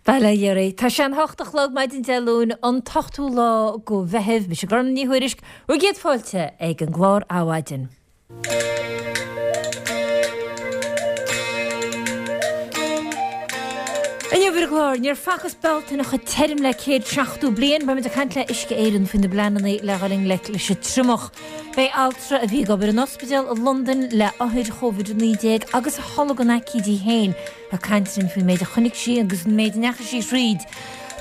Bail ó Dhia oraibh. Tá sé an hocht a chlog maidin Dé Luain, an t-ochtú lá go Mheitheamh. Mise Gormfhlaith Ní Thuairisg, bhur gcéad fáilte ag an gclár Adhmhaidin. Inniu ar an gclár, níor facthas Bealtaine chomh tirim le 170 bliain. Beimid ag caint le Uisce Éireann faoi na bpleananna le dhul i ngleic leis an triomach. Beidh altra a bhí ag obair in ospidéal i Londain le othair Covid-19 agus a tholg an aicíd í féin, Ag caint linn faoin méid a chonaic sí agus an méid a ndeachaigh sí thríd.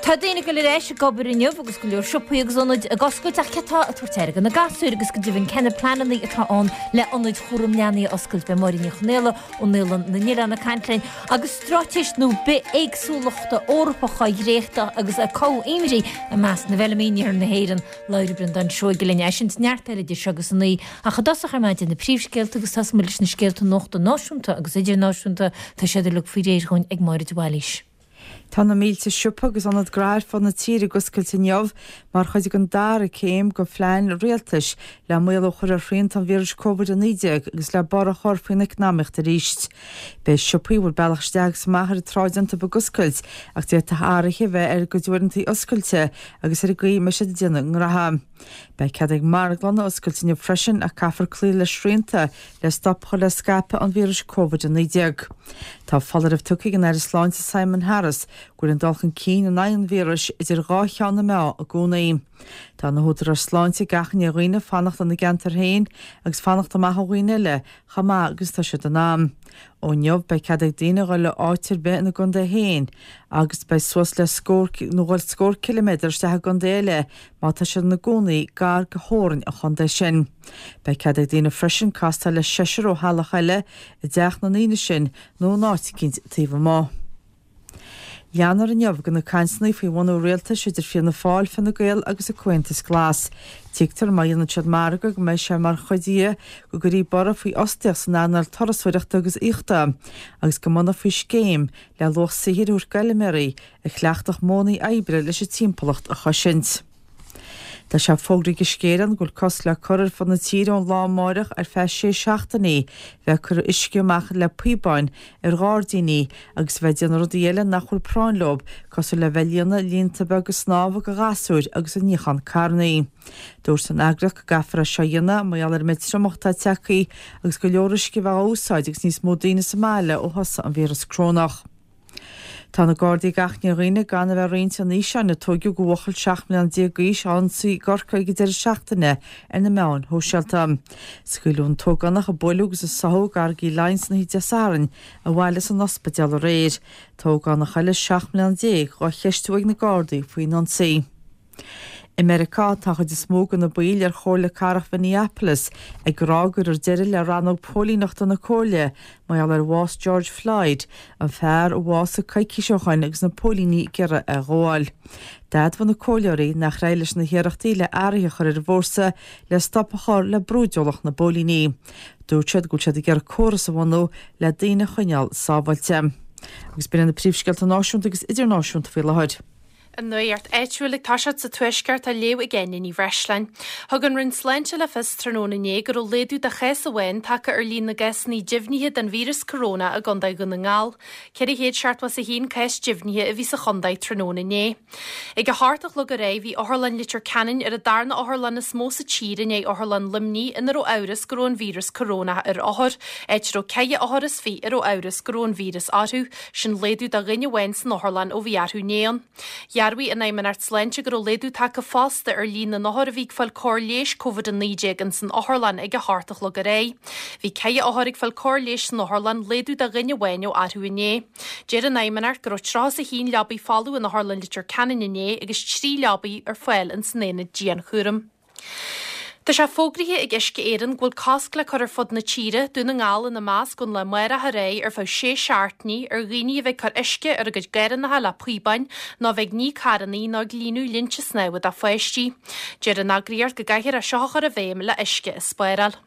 Tá daoine ag dul ar ais ag obair inniu agus go leor siopaí agus ionaid ag oscailt ach cé atá ag tabhairt aire do na gasúir agus go deimhin cé na pleananna atá ann le ionaid chúram leanaí a oscailt. Beidh Máire Ní Chonaola ó Naíolann na nOileán ag caint linn agus straitéis nua bithéagsúlachta Eorpach á dhréachtadh agus ag cothú imní i measc na bhfeilméaraí in iarthar na hÉireann. Labhróidh Breandán Seoige linn é sin is neart eile idir seo agus a naoi. Ach i dtosach ar maidin na príomhscéalta agus tosóidh muid leis na scéalta nuachta náisiúnta agus idirnáisiúnta. Tá siad uilig faoi réir dhúinn ag Máire de Bhailís. Tá na mílte siopa agus ionad gnaithe ar fud na tíre ag oscailt inniu mar chuid den dara céim de phlean rialtais le maolú a chur ar shrianta an víris Covid-19 agus le borradh a chur faoin eacnamaíocht arís. Beidh siopaí a bhfuil bealach isteach agus amach ar an tsráid iontu ag oscailt ach d'fhéadfadh athruithe a bheith ar a gcuid uaireanta oscailte agus ar an gcaoi a mbeidh siad ag déanamh a ngraithe. Beidh cead ag marglanna oscailt inniu freisin ach caithfear cloí le srianta le stop a chur le scaipeadh an víris Covid-19. Tá foláireamh tugtha ag an Aire Sláinte Simon Harris go bhfuil an dul chun cinn in aghaidh an víris idir dhá cheann na meá i gcónaí. Tá na húdaráis sláinte ag achainí ar dhaoine fanacht ina gceantar féin agus fanacht amach ó dhaoine eile chomh maith agus atá siad in ann. Ó inniu beidh cead ag daoine a dhul áit ar bith ina gcontae féin agus beidh suas le scór nó dhul scór ciliméadar isteach i gcontae eile má tá siad ina gcónaí gar do theorainn an chontae sin. Beidh cead ag daoine freisin castáil le seisear ó theaghlach eile i dteach na ndaoine sin nó in áit eicínt taobh amuigh. Leanfar inniu de na cainteanna faoi bhunú rialtais idir Fianna Fáil, Fine Gael agus an Comhaontas Glas. Tuigtear má dhéanann siad margadh go mbeidh sé mar chuid dhe go gcuirfí borradh faoi fhostaíocht san earnáil turasóireachta agus aíochta agus go mbunófaí scéim le luach saothair a thabhairt d'fheilméaraí a chleachtfadh modhanna oibre leis an timpeallacht a chosaint. Tá sé fógraithe ag Uisce Éireann go bhfuil cosc le cur ar fud na tíre ón lá amáireach ar feadh sé seachtainí bheith ag cur uisce amach le píobáin ar ghairdíní agus a bheith ag déanamh rudaí eile nach bhfuil práinn leo, cosúil le bheith ag líonadh líonta beaga snámha do ghasúir agus ag níochán carrannaí. Dúirt an eagraíocht go gcaithfear é seo a dhéanamh mar gheall ar an méid triomach atá tagtha agus go leor uisce a bheith á úsáid agus níos mó daoine sa mbaile ó thosaigh an víreas corónach. Tá na Gardaí ag achainí ar dhaoine gan a bheith ag roinnt an fhíseáin a tóigeadh de bhuachaill 17 mbliana d'aois á ionsaí i gCorcaigh ag an deireadh seachtaine ar na meáin shóisialta. Scaoileadh an t-ógánach a buaileadh agus a sáthadh i gCarraig Uí Leighin san oíche Dé Sathairn abhaile as an ospidéal aréir. Tá ógánach eile 17 mbliana dhá cheistiú ag na Gardaí faoin ionsaí. I Meiriceá, tá an chuid is mó de na baill ar Chomhairle Cathrach Mhinneapolis ag rá go gcuirfear deireadh le rannóg póilíneachta na comhairle mar gheall ar bhás George Floyd, an fear a bhásaigh coicís ó shoin agus na póilíní ag iarraidh é a ghabháil. D'admhaigh na comhairleoirí nach éireoidh leis na hiarrachtaí le athruithe a chur ar an bhfórsa le stop a chur le brúidiúlacht na bpóilíní. Dúirt siad go bhfuil siad ag iarraidh córas a bhunú le daoine a choinneáil sábháilte. Agus b'in iad na príomhscéalta náisiúnta agus idirnáisiúnta faoi láthair. An nuacht áitiúil ag toiseacht sa Tuaisceart á léamh ag Áine Ní Bhreisleáin. Thug an Roinn Sláinte le fios tráthnóna inné go raibh laghdú de chás amháin tagtha ar líon na gcásanna deimhnithe den víreas coróna i gContae Dhún na nGall. 471 cás deimhnithe a bhí sa chontae tráthnóna inné. Ag a hocht a chlog aréir bhí Otharlann Leitir Ceanainn ar an darna otharlann is mó sa tír i ndiaidh Otharlann Luimnigh ina raibh amhras go raibh an víreas corónach ar othair, áit a raibh ceithre othar is fiche a raibh amhras go raibh an víreas orthu. Sin laghdú de dhuine amháin san otharlann ó bhí athrú inné ann. Dhearbhaigh an Fheidhmeannacht Sláinte go raibh laghdú tagtha fosta ar líon na n-othar a bhí ag fáil cóir leighis Covid-19 ins an otharlann ag a hocht a chlog aréir. Bhí ceithre othar ag fáil cóir leighis san otharlann, laghdú de dhuine amháin ó athrú inné. Deir an Fheidhmeannacht go raibh 31 leabaidh folamh in Otharlann Leitir Ceanainn inné agus 3 leabaidh ar fáil ins an aonad dianchúraim. Tá sé fógraithe ag Uisce Éireann go bhfuil cosc le cur ar fud na tíre, Dún na nGall ina measc, ón lá amárach ar aghaidh ar feadh sé seachtainí ar dhaoine a bheith ag cur uisce ar a gcuid garrannacha le píobáin nó a bheith ag ní carrannaí nó ag líonadh linnte snámha do pháistí. Deir an eagraíocht go gcaithfear é seo a chur i bhfeidhm le uisce a spáráil.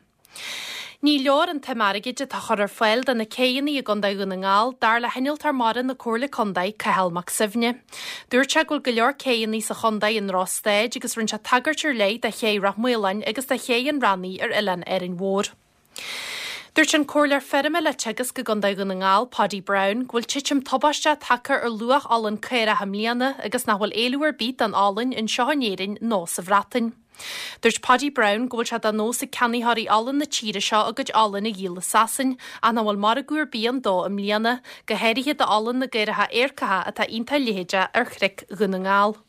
Ní leor an tsuim airgid atá á chur ar fáil do na céidheanna i gContae Dhún na nGall, dar le hinnealtóir mara na Comhairle Contae, Cathal Mac Suibhne. Dúirt sé go bhfuil go leor céidheanna sa chontae i ndrochstaid agus rinne sé tagairt ar leith do ché Ráth Maoláin agus do ché an Rannaigh ar oileán Árainn Mhór. Dúirt an Comhairleoir Feirme le Teagasc i gContae Dhún na nGall, Paudie Browne, go bhfuil titim tubaisteach tagtha ar luach olann caorach i mbliana agus nach bhfuil éileamh ar bith don olann anseo in Éirinn nó sa Bhreatain. Dúirt Paudie Browne go bhfuil sé de nós ag ceannaitheoirí olann na tíre seo a gcuid olainn a dhíol i Sasain ach nach bhfuil margadh ar bith ann dó i mbliana, go háirithe d'olann na gcaoracha Éirceacha atá iontach leitheadach ar chnoic Dhún na nGall.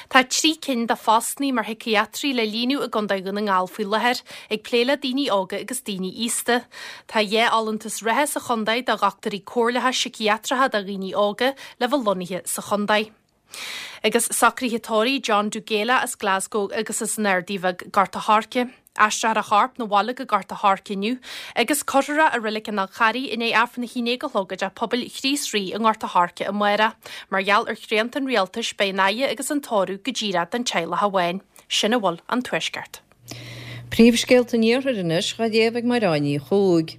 Tá 3 cinn de phostanna mar shíciatraí le líonadh i gContae Dhún na nGall faoi láthair, ag plé le daoine óga agus daoine aosta. Tá 2 fholúntas reatha sa chontae do dhochtúirí comhairleacha síciatracha do dhaoine óga le bheith lonnaithe sa chontae. Agus socruithe tórraimh John Dugela as Glasgow agus as an Ardaidh Bheag, Gort a' Choirce. Aistreofar a chorp 'na bhaile go Gort a' Choirce inniu agus cuirfear é i Reilig an Fhál Charraigh i ndiaidh Aifreann a haon déag a chlog i dTeach Pobail Chríost Rí i nGort a' Choirce amárach. Mar gheall ar shrianta an rialtais beidh an fhaire agus an tórramh go díreach don teaghlach amháin. Sin a bhfuil ón Tuaisceart. Príomhscéalta an Iarthair anois dhá léamh ag Mairéad Ní Chuaig.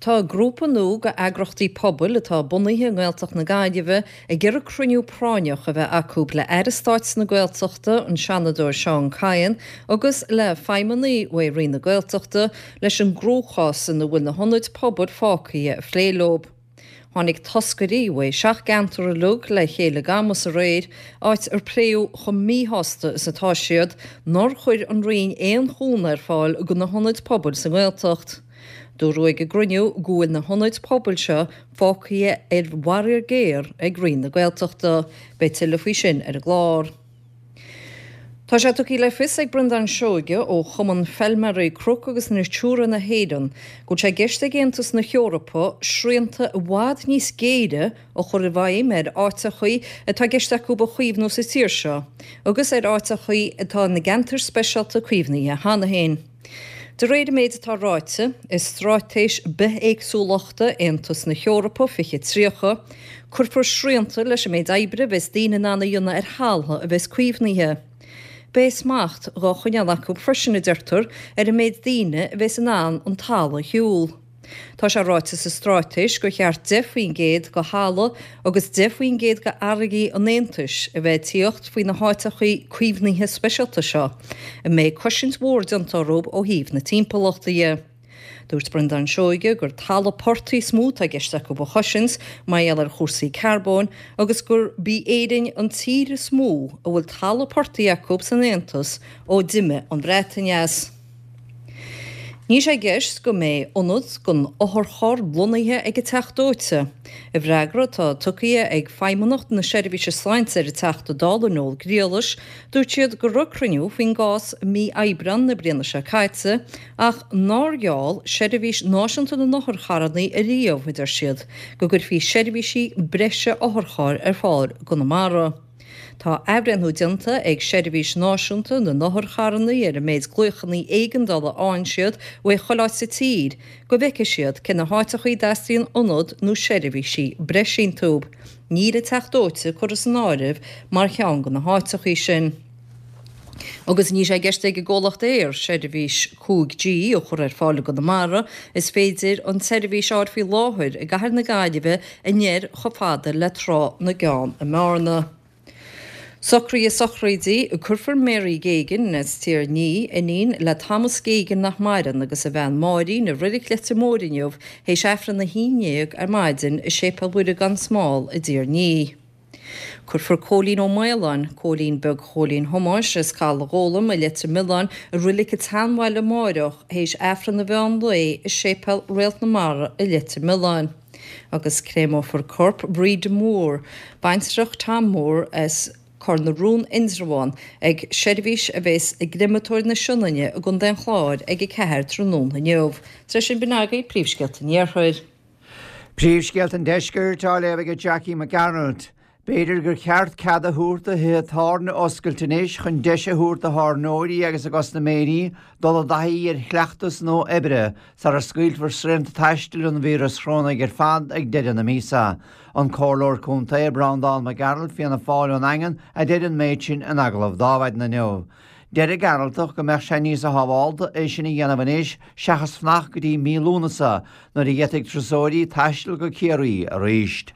Tá grúpa nua de eagrachtaí pobail atá bunaithe i nGaeltacht na Gaillimhe ag iarraidh cruinniú práinneach a bheith acu le Aire Stáit na Gaeltachta, an Seanadóir Seán Kyne, agus le feidhmeannaigh uaidh Roinn na Gaeltachta leis an gcruachás ina bhfuil na hionaid pobail fágtha a phlé leo. Tháinig toscairí uaidh seacht gceantar uilig le chéile i gCamus aréir, áit ar pléadh chomh míshásta is atá siad nár chuir an Roinn aon chúnamh ar fáil do na hionaid pobail sa nGaeltacht. Dúradh ag an gcruinniú go bhfuil na hionaid pobail seo fágtha ar bharraíocht ghéar ag Roinn na Gaeltachta. Beidh tuilleadh faoi sin ar an gclár. Tá sé tugtha le fios ag Breandán Seoige ó Chumann Feilméaraí Cnoc agus Natura na hÉireann go bhfuil sé i gceist ag Aontas na hEorpa srianta i bhfad níos géire a chur i bhfeidhm ar áiteachaí atá i gceist acu a chaomhnú sa tír seo agus ar áiteachaí atá ina gceantair speisialta caomhnaithe cheana féin. De réir an méid atá ráite i Straitéis Bithéagsúlachta Aontas na hEorpa 2030, cuirfear srianta leis an méid oibre a bheas daoine in ann a dhéanamh ar thaltha a bheas caomhnaithe. Beidh smacht dhá choinneáil acu freisin, a deirtear, ar an méid daoine a bheas in ann an talamh a shiúl. Tá sé ráite sa straitéis gur cheart 10% de thalamh agus 10% de fharraigí an Aontais a bheith ag tíocht faoi na háiteachaí caomhnaithe speisialta seo, a mbeidh cosaint mhór déanta orthu ó thaobh na timpeallachta dhe. Dúirt Breandán Seoige gur talamh portaigh is mó atá i gceist acu a chosaint mar gheall ar chúrsaí carbóin agus gurb í Éirinn an tír is mó a bhfuil talamh portaigh acu san Aontas ó d'imigh an Bhreatain as. Níl sé i gceist go mbeidh ionad don otharcharr lonnaithe ag an Teach Dóite. I bhfreagra atá tugtha ag Feidhmeannacht na Seirbhíse Sláinte ar an Teachta Dála Noel Griallais, dúirt siad go raibh cruinniú faoin gcás i mí Aibreán na bliana seo caite ach nár gheall Seirbhís Náisiúnta na nOtharcharranna ariamh, a deir siad, go gcuirfí seirbhísí breise otharchairr ar fáil i gConamara. Tá athbhreithniú déanta ag Seirbhís Náisiúnta na nOtharcharranna ar an méid glaochanna éigeandála a fhaigheann siad uaidh chuile áit sa tír go bhfeicfidh siad cé na háiteachaí a dteastaíonn ionad nó seirbhísí breise iontu. Níl an Teach Dóite curtha san áireamh mar cheann de na háiteachaí sin. Agus níl sé i gceist ag an gcomhlacht Eir seirbhís 5G a chur ar fáil i gConamara, is féidir an tseirbhís a fháil faoi láthair i gcathair na Gaillimhe anoir chomh fada le Trá na gCeann i mBearna. Socruithe sochraide, Cuirfear Mary Geoghegan as Tír an Fhia, iníon le Thomas Geoghegan nach maireann agus a bhean Máirín i Reilig Leitir Móir inniu théis Aifreann 11 ar maidin i Séipéal Mhuire gan Smál i dTír an Fhia. Cuirfear Cóilín Ó Maoláin, Cóilín Beag Chóilín Thomáis as Caladh Ghólam i Leitir Mealláin i Reilig an tSeanbhaile amáireach théis Aifreann an mheán lae i Séipéal Réalt na Mara i Leitir Mealláin. Agus créamófar corp Bhríde Moore, baintreach Tom Moore as Cor na Rón Indreabhán ag seirbhís a bheas i gCreamatóir na Sionainne i gContae an Chláir ag 4 tráthnóna inniu. Tar éis sin b'in agaibh príomhscéalta an Iarthair. Príomhscéalta an Deiscirt á léamh ag Jackie Mac Gearailt. B'fhéidir gur cheart cead a thabhairt do thithe tábhairne oscailt anois chun deis a thabhairt do thábhairneoirí agus a gcustaiméirí dul i dtaithí ar chleachtas nua oibre sara scaoilfear srianta taistil an víreas chorónaigh ar fad ag deireadh na míosa. An Comhairleoir Contae Breandán Mac Gearailt, Fianna Fáil ón nDaingean, a deir an méid sin in agallamh d'Adhmhaidin inniu. Deir an Gearaltach go mbeadh sé níosa shábhálta é sin a dhéanamh anois seachas fanacht go dtí mí Lúnasa nuair a d'fhéadfaidh turasóirí taisteal go Ciarraí arís.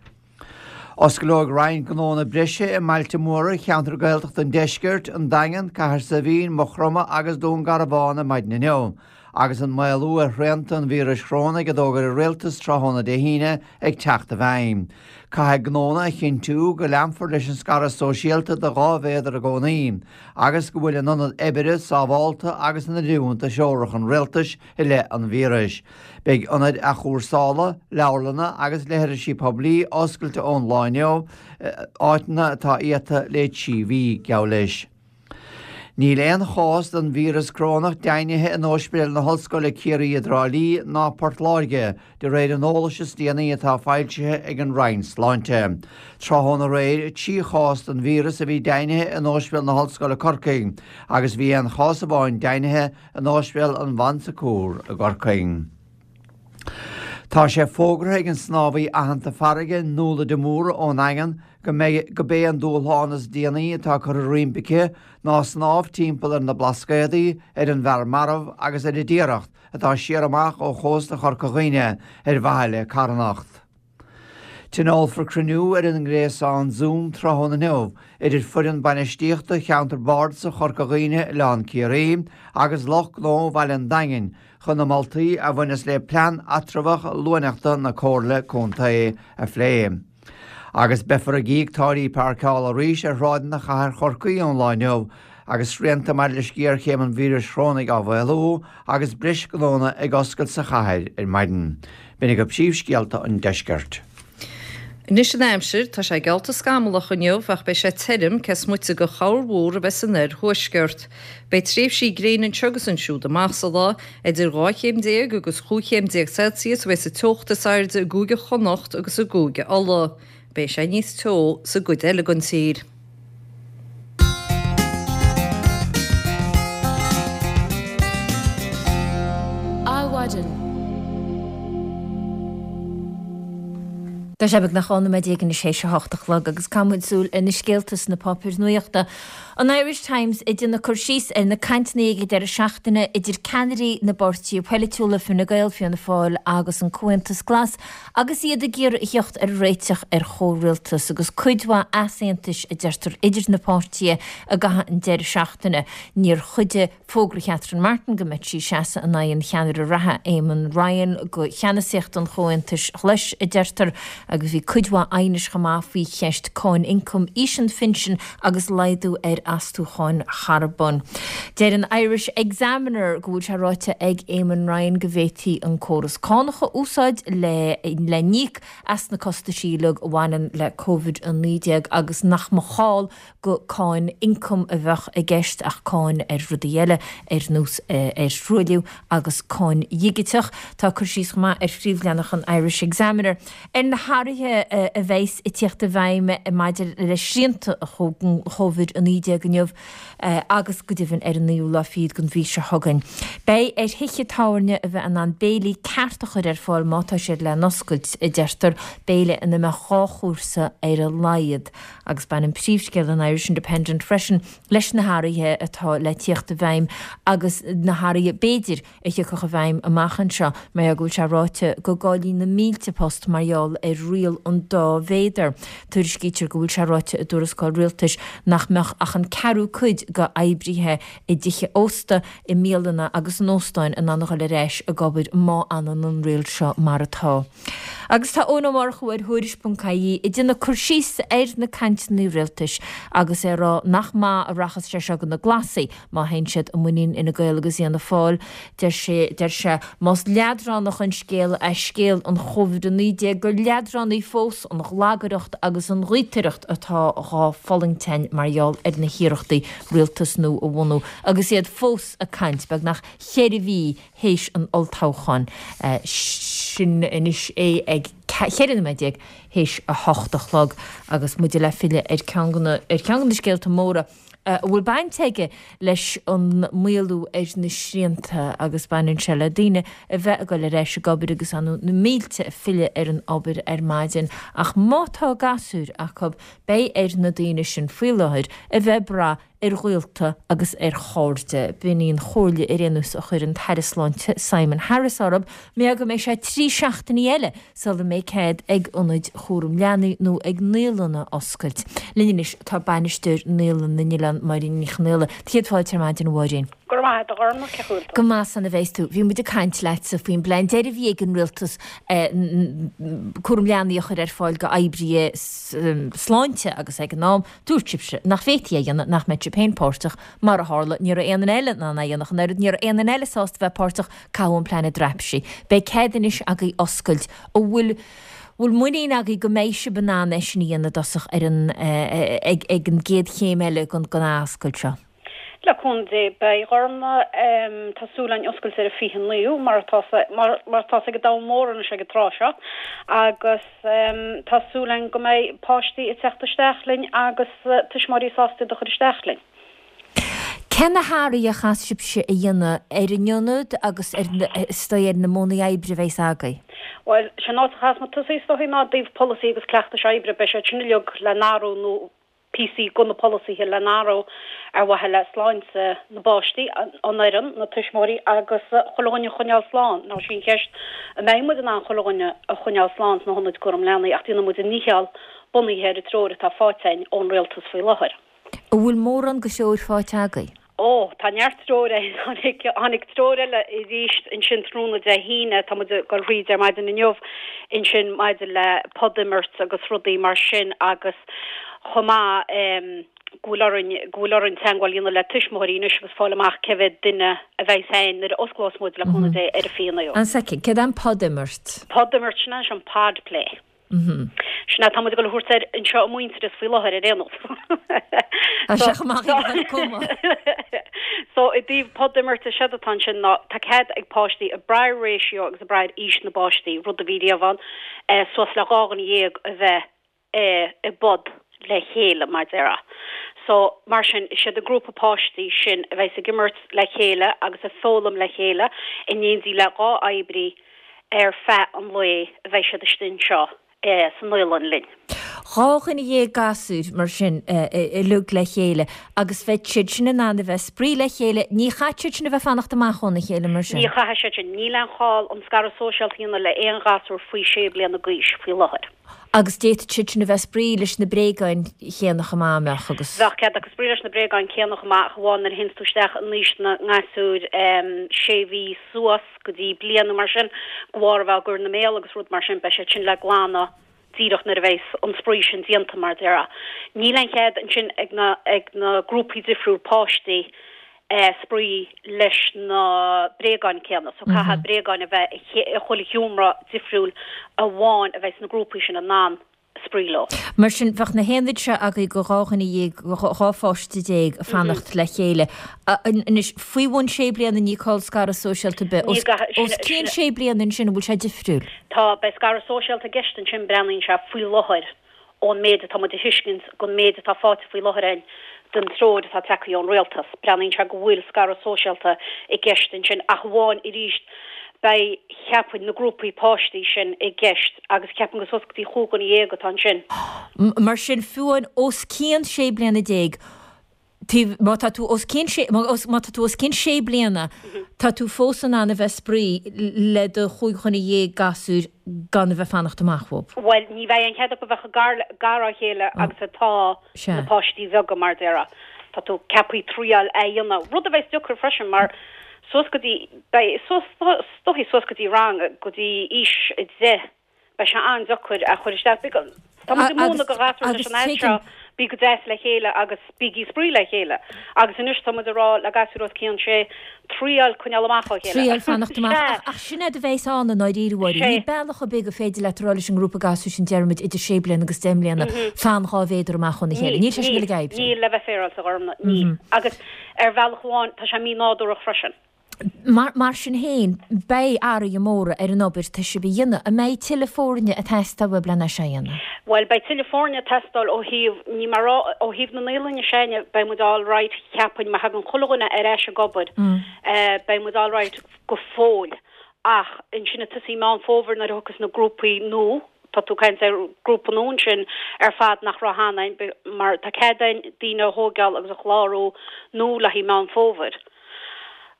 Osclóidh roinnt gnónna breise i mbailte móra cheantar Gaeltachta an deiscirt, an Daingean, Cathair Saidhbhín, Maigh Chromtha agus Dún Garbhán ar maidin inniu. agus an maolú ar shrianta an víris chorónaigh a d'fhógair an Rialtas tráthnóna Dé hAoine ag teacht i bhfeidhm. Caithfidh gnónna a chinntiú go leanfar leis an scaradh sóisialta de 2 mhéadar i gcónaí agus go bhfuil an ionad oibre sábhálta agus in oiriúint do threoracha an Rialtais i leith an víris. Beidh ionaid athchúrsála, leabharlanna agus leithrisí poiblí oscailte ón lá inniu, áiteanna atá iata le 3 mhí, geall leis. Níl aon chás den víreas corónach deimhnithe in Ospidéal na hOllscoile Ciarraí i dTrá Lí ná Port Láirge, de réir an eolais is déanaí atá foilsithe ag an Roinn Sláinte. Tráthnóna aréir, 3 chás den víreas a bhí deimhnithe in Ospidéal na hOllscoile Corcaigh agus bhí aon chás amháin deimhnithe in Ospidéal an Bhon Secours i gCorcaigh. Tá sé fógartha ag an snámhaí aitheanta farraige Nuala de Mórdha ón nDaingean go mbeidh go b'é an dúshlán is déanaí atá curtha roimpi aici ná snámh timpeall ar na Blascaodaí, ar an bhFear Marbh agus ar an Tiaracht atá siar amach ó chósta Chorca Dhuibhne ar mhaithe le carthanacht. Tionólfar cruinniú ar an ngréasán Zoom tráthnóna inniu idir foireann bainistíochta Cheantar Bardasach Chorca Dhuibhne Oileán Ciarraí agus lucht gnó Bhaile an Daingin chun na moltaí a bhaineas le Plean Eatramhach Luaineachta na Comhairle Contae a phlé. Agus beifear ag íoc táillí páirceála arís ar shráideanna chathair Chorcaí ón lá inniu agus srianta maidir leis géarchéim an víris chorónaigh á mhaolú agus breis gnónna ag oscailt sa chathair ar maidin. B'in agaibh príomhscéalta an deiscirt. Anois an aimsir, tá sé geallta scamallach inniu ach beidh sé tirim cé is moite de chorrmhúr a bheith san oirthuaisceart. Beidh tréimhsí gréine anseo agus ansiúd amach sa lá. Idir 12 chéim agus 15 chéim Celsius a bheidh sa teocht is airde i gCúige Chonnacht agus i gCúige Uladh. Beidh sé níos teo sa gcuid eile den tír. Adhmhaidin. Tá sé beagnach 12 nóiméad anois théis a hocht a chlog agus caithfidh muid súil ar na scéalta sna páipéir nuachta. An Irish Times ag déanamh cur síos ar na cainteanna ag an deireadh seachtaine idir ceannairí na bpáirtithe poilitiúla, Fine Gael, Fianna Fáil agus an Comhaontas Glas, Agus iad ag iarraidh a theacht ar réiteach ar chomhrialtas, agus cuid mhaith easaontais, a deirtear, idir na páirtithe i gcaitheamh an deireadh seachtaine, níor chuidigh fógra Catherine Martin go mbeadh sí ag seasamh in aghaidh an cheannaire reatha, Eamon Ryan, do cheannasaíocht an Chomhaontais Ghlais, a deirtear, agus bhí cuid mhaith aighnis chomh maith faoi cheist cáin ioncaim, aois an phinsin agus laghdú ar astúcháin charbóin. Deir an Irish Examiner go bhfuil sé ráite ag Eamon Ryan go bhféadfaí an córas cánach a úsáid le le n-íoc as na costaisí uilig a bhaineann le Covid-19 agus nach mba chall go cáin ioncaim a bheadh i gceist ach cáin ar rudaí eile ar nós ar thruailliú agus cáin dhigiteach. Tá cur síos chomh maith ar phríomhleathanach an Irish Examiner ar na hathruithe a bheas ag tíocht i bhfeidhm maidir le srianta Covid-19 inniu agus go deimhin ar an naoú lá fichead den mhí seo chugainn. Beidh ar thithe tábhairne a bheith in ann béilí ceart a chur ar fáil má tá siad le n-oscailt, a deirtear, béile ina mbeadh 2 chúrsa ar a laghad. Agus baineann príomhscéal an Irish Independent freisin leis na hathruithe atá le tíocht i bhfeidhm agus na hathruithe, b'fhéidir, a thiocfadh i bhfeidhm amach anseo, mar go bhfuil sé ráite go gcaillfí na mílte post mar gheall ar riail an dá mhéadar. Tuairiscítear go bhfuil sé ráite i dtuarascáil rialtais nach mbeadh ach an ceathrú cuid d'oibrithe i dtithe ósta, i mbialanna agus in óstáin in ann a dhul ar ais ag obair má fhanann an riail seo mar atá. Agus tá Eoin Ó Murchú ar Thuairisc.ie ag déanamh cur síos ar na cainteanna rialtais agus é ag rá nach maith a rachas sé seo do na Glasaigh má théann siad i muinín Fhine Gael agus Fhianna Fáil. Deir sé, deir sé, más leadránach an scéal é scéal an Chóivid-19 gur leadránaí fós an ghlagaireacht agus an ghaotaireacht atá dhá fulaingt againn mar gheall ar na hiarrachtaí rialtas nua a bhunú agus iad fós ag caint, beagnach cheithre mhí théis an olltoghcháin. Sin anois é ag 14 nóiméad théis 8 a chlog agus muide le filleadh ar ceann de na, ar cheann de na scéalta móra a bhfuil baint aige leis an maolú ar na srianta agus baineann sé le daoine a bheith ag dul ar ais ag obair agus ar ndóigh na mílte ag filleadh ar an obair ar maidin ach má tá gasúir acu beidh ar na daoine sin faoi láthair a bheith ag brath ar ghaolta agus ar chairde. B'in í an chomhairle ar aon nós a chuir an tAire Sláinte Simon Harris orthu mar go mbeidh sé 3 seachtainí eile sula mbeidh cead ag ionaid chúram leanaí nó ag naíolanna oscailt. Linn anois tá bainisteoir Naíolann na nOileán, Máirín Ní Chonaola. Céad fáilte ar maidin, a Mháirín. Go raibh maith agat, a Ghormfhlaith, cén chaoi a bhfuil tú? Go maith san a bheas tú. Bhí muid ag caint leatsa faoin bplean deiridh a bhí ag an Rialtas cúram leanaí a chur ar fáil go oibrithe sláinte agus ag an am dúirt sibhse nach bhféadfaí é a dhéanamh, nach mbeadh sibh féin páirteach. Mar a tharla, ní raibh aon duine eile in ann é a dhéanamh ach an oiread, ní raibh aon duine eile sásta bheith páirteach, caitheadh an plean i dtaibhsí. Beidh cead anois agaibh oscailt. An bhfuil bhfuil muinín agaibh go mbeidh sibh in ann é sin a dhéanamh i dtosach ar an ag ag an gcéad chéim eile den den athoscailt seo? Le cúnamh Dé, beidh, a Ghormfhlaith, tá súil againn oscailt ar an 29ú, mar atá mar mar atá ag an domhan mór anois ag an tráth seo, agus tá súil againn go mbeidh páistí ag teacht isteach linn agus tuismitheoirí sásta iad a chur isteach linn. Cé na hathruithe a chaithfidh sibhse a dhéanamh ar an ionad agus ar na, is dóigh, ar na modhanna oibre a bheas agaibh? Bhuel, sé an áit a chaithfeas muid tosaí is dóigh ná i dtaobh polasaí agus cleachtais oibre. Beidh siad sin uilig le n-athrú nó píosaí de na polasaithe le n-athrú ar mhaithe le sláinte na bpáistí, an fhoireann, na tuismitheoirí agus chuile dhuine a choinneáil slán. Now sí an cheist an mbeidh muid in ann chuile dhuine a choinneáil slán sna hionaid cúram leanaí ach déanfaidh muid a ndícheall bunaithe ar an treoir atá faighte againn ón rialtas faoi láthair. An bhfuil mórán de threoir faighte agaibh? Ó, tá neart treoir againn. Tháinig, tháinig treoir eile arís ansin tráthnóna Dé hAoine, tá muid ag dul thríd ar maidin inniu ansin maidir le pod-imirt agus rudaí mar sin agus chomh maith em go bhfuil orainn, go bhfuil orainn teagmháil a dhéanamh le tuismitheoirí anois agus fáil amach cé mhéad duine a bheidh againn nuair a osclós muid le cúnamh Dé ar an 29ú. One second, céard é an pod-imirt? Pod-imirt, sin é an pod play. Sin é atá muid ag dul a thabhairt air anseo i Muintearas faoi láthair ar aon nós. Tá sé chomh maith ag an cuma. So i dtaobh pod-imirte séard atá ansin ná tá cead ag páistí ag brath ar ratio agus ag brath ar aois na bpáistí, rud a bhí riamh ann, suas le 12 dhuine a bheith i bpod le chéile mar déarfá. So mar sin is iad an grúpa páistí sin a bheas ag imirt le chéile agus ag foghlaim le chéile in éindí le 2 oibrí ar feadh an lae a bheidh siad istigh anseo sa naíolann linn. 12 dhuine gasúir mar sin uilig le chéile agus bheadh siad sin in ann a bheith ag spraoi le chéile, ní chaithfidh siad sin a bheith fanacht amach óna chéile mar sin? Ní chaithfidh siad sin. Níl aon chall an scaradh sóisialta a dhéanamh le aon ghasúr faoi sé bliana d'aois faoi láthair. Agus d'fhéadfadh siad sin a bheith ag spraoi leis na bréagáin chéanna chomh maith, an mbeadh, agus. Bheadh cead acu spraoi leis na bréagáin céanna chomh maith ach amháin nuair a théanns tú isteach in aois na ngasúir sé mhí suas. go dtí bliain nó mar sin, de bharr a bheith á gcur ina mbéal agus rud mar sin, beidh siad sin le glanadh díreach nuair a bheas an spraoi sin déanta, mar a déarfá. Níl aon chead ansin ag na, ag na grúpaí difriúil páistí spraoi leis na bréagáin céanna, so caithfidh bréagáin a bheith i chuile sheomra difriúil amháin a bheidh sna grúpaí sin in ann spraoi leo. Mar sin, bheadh na haonaid seo agaibh go 12 dhuine, 12 pháiste ag fanacht le chéile. Anois, faoi bhun sé bliana ní call scaradh sóisialta ar bith. Os cionn sé bliana ansin, an bhfuil sé difriúil? Tá, beidh scaradh sóisialta i gceist ansin, breathnaíonn sé faoi láthair ón méid atá muid a thuiscint gon méid atá faighte faoi láthair againn den treoir atá tagtha ón rialtas. Breathnaíonn sé go bhfuil scaradh sóisialta i gceist ansin ach amháin arís beidh, cheapfainn, na grúpaí páistí sin i gceist agus ceapaim gur suas go dtí chúig dhuine dhéag atá ansin. Mar sin, fiú amháin os cionn 16 bliana, taobh, má tá tú os cionn sé, má tá tú os cionn sé bliana, tá tú fós in ann a bheith ag spraoi le do chúig dhuine dhéag gasúir gan a bheith fanacht amach uathu. Bhuel, ní bheidh aon chead acu bheith chomh gar dá chéile agus atá na páistí bheaga, mar a déarfá. Tá tú ceaptha triail a dhéanamh, rud a bheas deacair freisin mar suas go dtí, beidh suas, is dóichí suas go dtí rang, go dtí aois 10, beidh sé an-deacair a chur isteach. Bíonn, tá muid ag múineadh do ghasúir leis an fhad seo, bí go deas le chéile agus bígí ag spraoi le chéile. Agus anois tá muid ag rá le gasúir os cionn sé, triail coinneáil amach ó chéile. Triail fanacht amach. Ach, ach sin é a bheas ann i ndáiríre, a Mháirín. Níl bealach ar bith gur féidir leat a rá leis an ngrúpa gasúir sin, déarfaimid, idir sé bliana agus deich mbliana, fan 2 mhéadar amach óna chéile. Níl sé sin uilig ag oibriú. Níl, le bheith féaráilte, a Ghormfhlaith, níl. Agus ar bhealach amháin, tá sé mí-nádúrach freisin. Mar sin féin, beidh athruithe móra ar an obair atá sibh a dhéanamh. An mbeidh tuilleadh foirne ag teastáil uaibh lena seo a dhéanamh? Bhuel, beidh tuilleadh foirne ag teastáil ó thaobh, ní mar rá, ó thaobh na naíolainne s'againne, beidh muid all right, cheapfainn, má thagann chuile dhuine ar ais ag obair, beidh muid all right go fóill. Ach ansin ag tosaí Meán Fómhair nuair a thiocfas na grúpaí nua, tá tú ag caint ar grúpa nua ansin ar fad nach raibh cheana againn, mar tá cead againn daoine a thóigeáil agus a chlárú nua le haghaidh Meán Fómhair.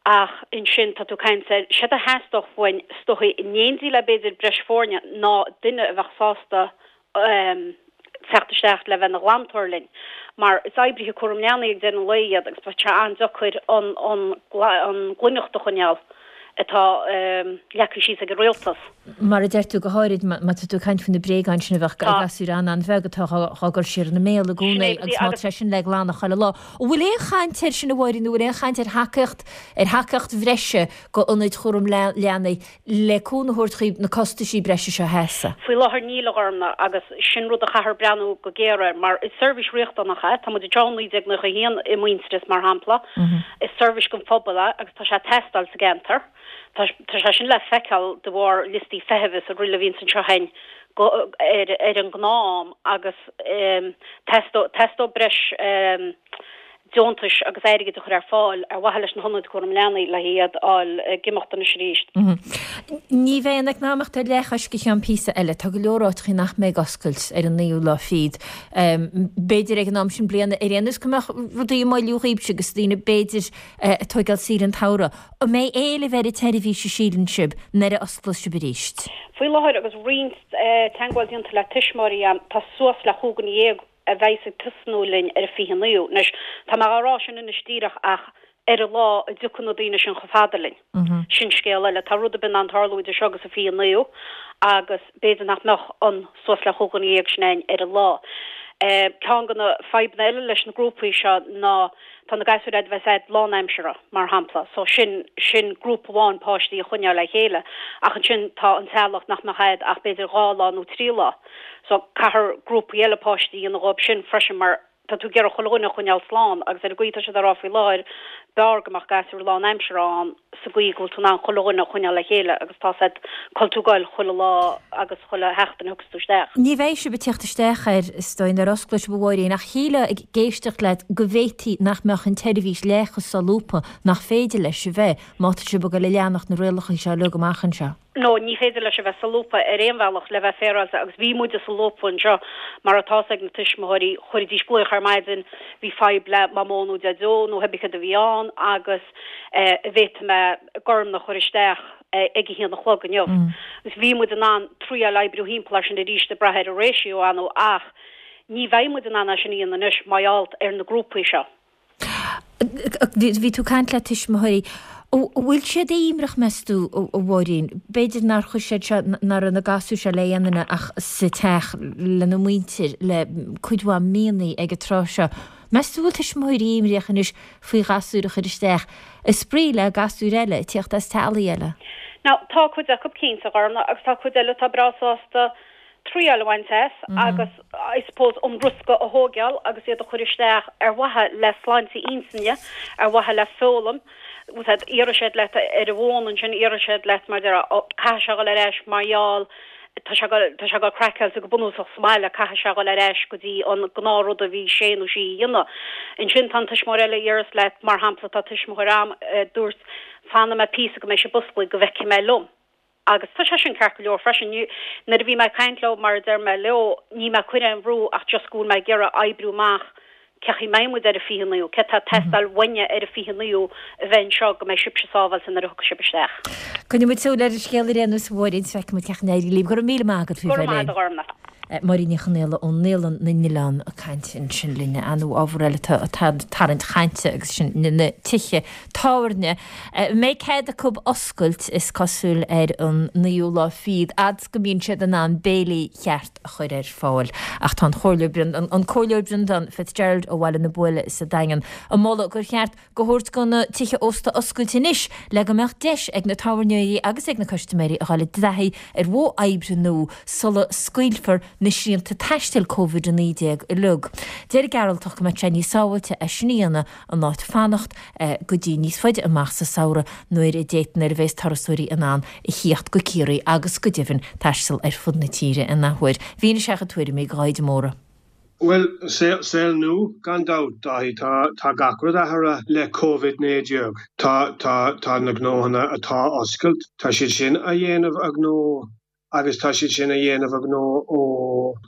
Ach ansin tá tú ag caint ar, séard a theastódh uainn is dóichí in éindí le b'fhéidir breis foirne ná duine a bheadh sásta. teacht isteach le bheith ina ghlantóir linn mar is oibrithe cúram leanaí ag deireadh an lae iad agus bheadh sé an-deacair an an an ghlaineacht a choinneáil atá leagtha síos ag an rialtas. Mar a deir tú, go háirid má tá tú ag caint faoi na bréagáin sin a bheadh ag gasúir an-an-bheag atá á gcur siar ina mbéal i gcónaí agus má tá sé sin le glanadh chuile lá. An bhfuil aon chaint air sin a Mháirín nó an bhfuil aon chaint ar thacaíocht ar thacaíocht bhreise go ionaid chúram leanaí le cúnamh a thabhairt dhaoib na costaisí breise seo a sheasamh? Faoi láthair níl, a Ghormfhlaith, agus sin rud a chaithfear breathnú go géar air, mar is seirbhís riachtanach é. Tá muid anseo ó 1991 i Muintearas, mar shampla. Is seirbhís don phobal é agus tá sé ag teastáil sa gceantar. Tá sé sin le feiceáil de bharr liostaí feithimh is araile a bhíonns anseo againn go ar ar an ngnáth-am agus teastódh breis deontais agus airgid a chur ar fáil ar mhaithe leis na hionaid cúram leanaí le hiad a fháil ag imeacht anois arís. Ní bheidh an eacnamaíocht ar leathchois go ceann píosa eile. Tá go leor áiteachaí nach mbeidh ag oscailt ar an naoú lá fichead. B'fhéidir ag an am sin bliana ar aon nós go mbeadh rudaí ag moilliú dhaoibhse agus daoine b'fhéidir ag tóigeáil saoire an tsamhraidh. An mbeidh éileamh ar an tseirbhís a síleann sibh nuair a osclós sibh arís? Faoi láthair agus roinnt teagmháil déanta le tuismitheoirí agam, tá suas le chúig dhuine dhéag a bheidhs ag tosnú linn ar an 29ú. Anois, tá mé dhá rá sin anois díreach ach ar an lá a dtiocfaidh na daoine sin chomh fada linn, sin scéal eile. Tá rud ar bith in ann tarlú idir seo agus an 29ú agus b'fhéidir nach mbeadh an suas le chúig dhuine dhéag sin ann ar an lá. Ceann de na fadhbanna eile leis na grúpaí seo ná tá na gasúir a'd a bheas a'd lánaimseartha, mar shampla, so sin, sin grúpa amháin páistí a choinneáil le chéile ach ansin tá an teaghlach nach mbeadh a'd ach b'fhéidir dhá lá nó trí lá. So caithfear grúpaí eile páistí a dhéanamh dhóibh sin freisin mar tá tú ag iarraidh chuile dhuine a choinneáil slán agus ar an gcaoi atá siad á rá faoi láthair b'fhearr go mbeadh gasúir lánaimseartha ann sa gcaoi go bhfuil tú in ann chuile dhuine a choinneáil le chéile agus tá 's a'd cá bhfuil tú ag goil chuile lá agus chuile sheachtain a thiocfas tú isteach. Ní bheidh sibh ag tíocht isteach air is dóigh nuair a osclóidh sibh a Mháirín ach shílfeá ag éisteacht leat go bhféadfaí nach mbeadh an tseirbhís leath chomh solúbtha nach féidir leis a bheith má tá sibh ag goil a leanacht na rialacha seo uilig amach anseo. No, ní féidir leis a bheith solúbtha ar aon bhealach le bheith féaráilte agus bhí muide solúbtha anseo mar atá 's ag na tuismitheoirí, chuiridís glaoch ar maidin, bhí fadhb le Mamó nó Deaideo nó hébí cad a bhí ann agus eh an bhféadfaidh mé Gormfhlaith a chur isteach ag a haon a chlog inniu. Agus bhí muid in ann triáil oibriú thimpeall air sin arís ag brath ar an ratio ar ndóigh ach ní bheidh muid in ann é sin a dhéanamh anois mar gheall ar na grúpaí seo. Bhí tú ag caint le tuismitheoirí. An bhfuil siad imníoch, meas tú, a Mháirín? B'fhéidir nár chuir siad seo, nach raibh na gasúir seo le aon duine ach sa teach lena muintir le cuid mhaith míonna ag an tráth seo. Meas tú an bhfuil tuismitheoirí imníoch anois faoi ghasúir a chur isteach ag spraoi le gasúir eile, ag tíocht as teaghlaigh eile? Now, tá cuid acu cinnte, a Ghormfhlaith, agus tá cuid eile atá breá sásta triail a bhaint as agus I suppose an riosca a thóigeáil agus iad a chur isteach ar mhaithe le sláinte intinne, ar mhaithe le foghlaim. Iarrfaidh siad leat ar an bhfón ansin, iarrfaidh siad leat mar deir caithfidh sé dhul ar ais mar gheall tá sé tá sé ag dul craiceáilte go bunúsach sa mbaile, caithfidh sé dhul ar ais go dtí an gnáthrud a bhí sé nó sí a dhéanamh. Ansin tá an tuismitheoir eile a iarras leat, mar shampla tá tuismitheoir a'm a dúirt fanfaidh mé píosa go mbeidh sibh oscailte go bhfeicfidh mé liom. Agus tá sé sin ceart go leor freisin. Nuair a bhí mé ag caint leo, mar a deir mé leo, níl mé ag cur aon bhrú ach just go bhfuil mé ag iarraidh oibriú amach cé chaoi mbeidh muid ar an 29ú, céard tá ag teastáil uainne ar an 29ú a bheith anseo go mbeidh sibhse sábháilte nuair a thiocfaidh sibh isteach. Coinneoidh muid súil ar an scéal ar aon nós, a Mháirín, is feicfidh muid cén chaoi a n-éireoidh libh. Go raibh míle maith agat faoi Go raibh maith agat, a Ghormfhlaith. Máirín Ní Chonaola ó Naíolann na nOileán ag caint ansin linn. Ar ndóigh ábhar eile atá ag tarraingt chainte agus sin na tithe tábhairne. Mbeidh cead acu oscailt, is cosúil, ar an naoú lá fichead, fhad 's go mbíonn siad in ann béilí cheart a chur ar fáil. Ach tá an Comhairleoir an Comhairleoir Breandán Fitzgerald ó Bhaile na Buaile sa Daingean ag moladh gur cheart go thabhairt go na tithe ósta oscailt anois le go mbeadh deis ag na tábhairneoirí agus ag na custaiméirí a dhul i dtaithí ar mhodh oibre nua sula scaoilfear na srianta taistil Covid-19 uilig. Deir an Gearaltach go mbeadh sé níos sábháilte é sin a dhéanamh in áit fanacht go dtí níos faide amach sa samhradh nuair a d'fhéadfadh nuair a bheas turasóirí in ann a thíocht go Ciarraí agus go deimhin taisteal ar fud na tíre in athuair. Mhínigh sé a chuid tuairimí do Dháithí de Mórdha. Bhuel, saol nua, gan dabht, Dáithí. Tá, tá gach rud athraithe le Covid-19. Tá, tá, tá na gnóthanna atá oscailt, tá siad sin a dhéanamh a ngnó agus tá siad sin a dhéanamh a ngnó ó,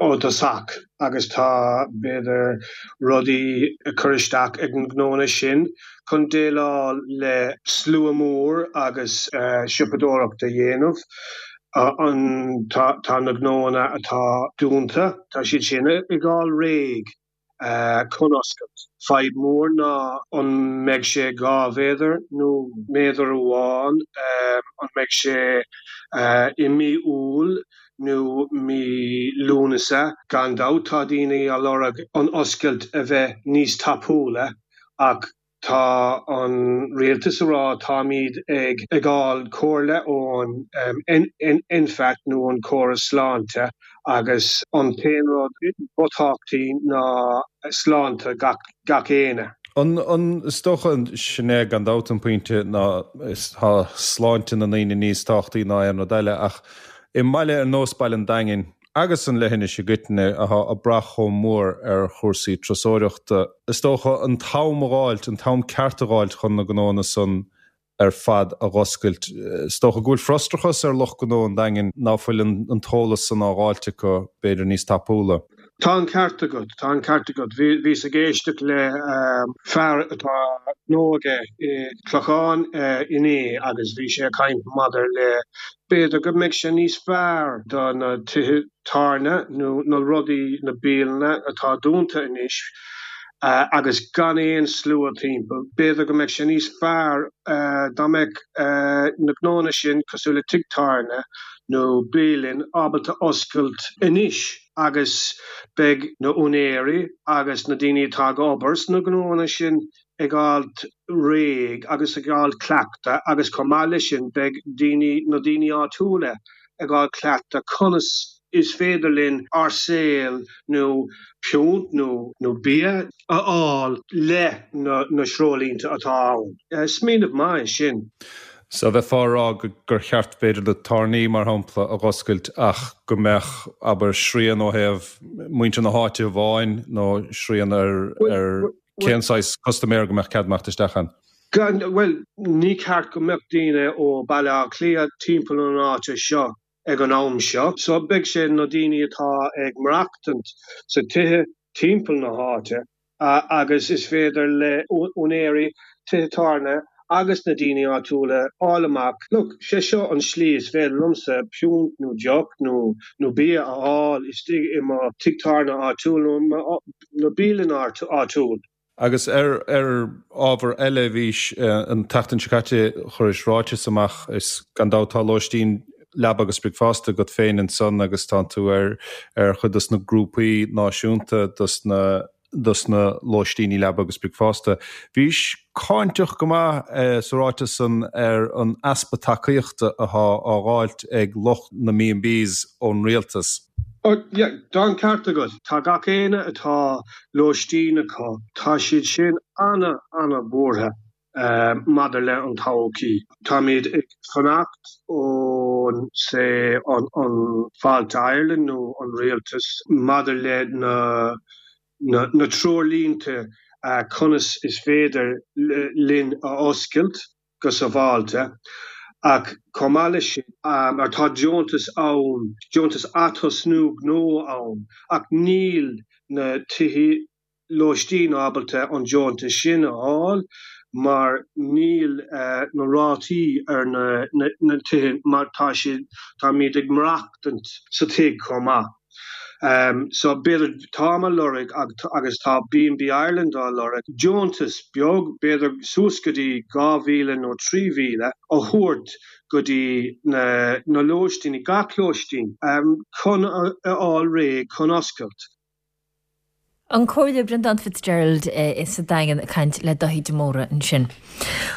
ó dtosach agus tá, b'fhéidir, rudaí ag cur isteach ag na gnónna sin chun déileáil le slua mór agus siopadóireacht a dhéanamh. An tá na gnóanna atá dúnta, tá siad sin ag fháil réidh chun oscailt. Fadhb mór ná an mbeidh sé 2 mhéadar nó méadar amháin, an mbeidh sé i mí Iúil nó mí Lúnasa. Gan dabht tá daoine á lorg an oscailt a bheith níos tapúla ach Tá an rialtas a rá táimid ag fháil comhairle ón NPHET nó an córas sláinte agus an t-aon rud ba tábhachtaí ná sláinte gach éinne. An, is dócha, sin é gan dabht an pointe ná tá sláinte na ndaoine níos tábhachtaí ná aon rud eile ach i mbaile ar nós Baile an Daingin, agus an leithinis i gcoitinne, atá ag brath chomh mór ar chúrsaí turasóireachta. Is dócha an t-am a dh'fháilt, an t-am ceart a dh'fháilt chun na gnóanna san ar fad a dh'oscailt. Is dócha go bhfuil frustrachas ar lucht gnó an Daingin ná fuil an t-eolas san á dh'fháilt acu, b'fhéidir, níos tapúla. Tá an ceart agat, tá an ceart agat. Bhíos ag éisteacht le fear atá gnó aige i Clochán inné agus bhí sé ag caint maidir le b'fhéidir go mbeidh sé níos fearr do na tithe tábhairne nó na rudaí, na bialanna atá dúnta anois agus gan aon slua timpeall, b'fhéidir go mbeadh sé níos fearr dá mbeadh na gnóanna sin cosúil le tigh tábhairne nó bialann ábalta oscailt anois. agus beidh na úinéirí agus na daoine atá ag obair sna gnóanna sin ag fháilt réidh agus ag fháilt cleachtadh agus chomh maith leis sin beidh daoine, na daoine áitiúla ag fháil cleachtadh conas is féidir linn ár saol nó piúnt nó nó bia a fháil le na na treoirlínte atá ann. Smaoineamh maith é sin. So bheifeá a rá gur cheart b'fhéidir na tábhairní mar shampla a dh'oscailt ach go mbeadh, abair, srian ó thaobh muintir na háite amháin nó srian ar ar cén saghas custaiméir go mbeadh cead imeacht isteach ann. Gan, bhuel, ní ceart go mbeadh daoine ó Baile Átha Cliath timpeall an áite seo ag an am seo. So beidh sé na daoine atá ag maireachtaint sa tithe timpeall na háite agus is féidir le úinéirí tithe tábhairne agus na daoine áitiúla fháil amach, look, sé seo an slí is féidir liomsa piúnt nó deoch nó nó bia a fháil istigh i mo tigh tábhairne áitiúil nó mo nó bialann áitiúil. Agus ar ar ábhar eile, bhís, an tseachtain seo caite chuiris ráiteas amach, is gan dabht tá lóistín leaba agus bricfeasta agat féin ansan agus tánn tú ar ar chuid dos na grúpaí náisiúnta dos na dos na lóistíní leaba agus bricfeasta. Bhís cáinteach go maith sa ráiteas san ar an easpa tacaíochta athá á dh'fháilt ag lucht na mB&Bs ón rialtas. Oh yeah, tá an ceart agat. Tá gach éinne atá lóistín acu, tá siad sin ana, ana buartha. Maidir le an todhchaí, táimid ag fanacht ón say an Fáilte Ireland nó an rialtas maidir le na na treoirlínte conas is féidir linn a oscailt go sábháilte ach chomh maith leis sin mar tá deontas ann, deontas atosnú gnó ann ach níl na tithe lóistín ábalta an deontas sin a fháil mar níl na rátaí ar na tithe mar tá siad, táimid ag maireachtaint sa tigh chomh maith. So b'fhéidir, táim á lorg agus tá B&B Ireland á lorg, deontas beag, b'fhéidir suas go dtí 2,000 nó 3,000 a thabhairt go dtí na lóistíní, gach lóistín, chun a fháil réidh chun oscailt. An Comhairleoir Breandán Fitzgerald sa Daingean ag caint le Daithí de Mórdha ansin.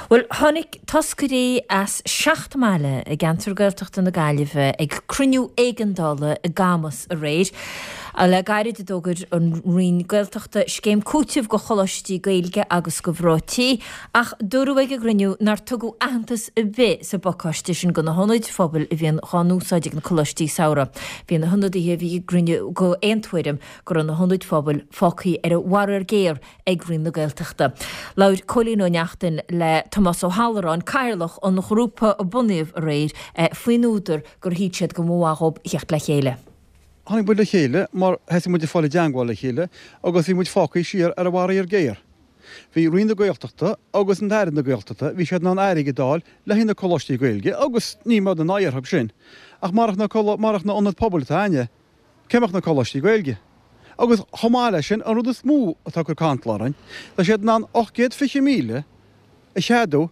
Bhuel, tháinig toscairí as seacht mbaile i gceantar Gaeltachta na Gaillimhe ag cruinniú éigeandála i gCamas aréir. Le gairid a d'fhógair an Roinn Gaeltachta scéim cúitimh go choláistí Gaeilge agus go mhná tí, ach dúradh ag an gcruinniú nár tugadh aitheantas ar bith sa bpacáiste sin go na hionaid phobail a bhíonn dhá n-úsáid ag na coláistí samhraidh. Bhí na hionadaithe a bhí ag an gcruinniú d'aon tuairim go raibh na hionaid phobail fágtha ar a bhfaraor géar ag Roinn na Gaeltachta. Labhair Cóilín Ó Neachtain le Tomás Ó hAlluráin, cathaoirleach an ghrúpa a bunaíodh aréir, faoin údar gur shíl siad go mba mhaith dhób theacht le chéile. Tháinig muid le chéile mar thosaigh muid ag fáil i dteangmháil le chéile agus bhí muid fágtha siar ar a bhfaraor géar. Bhí Roinn na Gaeltachta agus an tAire na Gaeltachta, bhí siad in ann airgead a fháil le haghaidh na coláistí Gaeilge agus níl muid in aghaidh orthu sin. Ach marach na marach na ionaid pobail atá againne, cé mbeadh na coláistí Gaeilge? Agus chomh maith leis sin, an rud is mó atá ag cur cantal orainn, tá siad in ann 820,000 a cheadú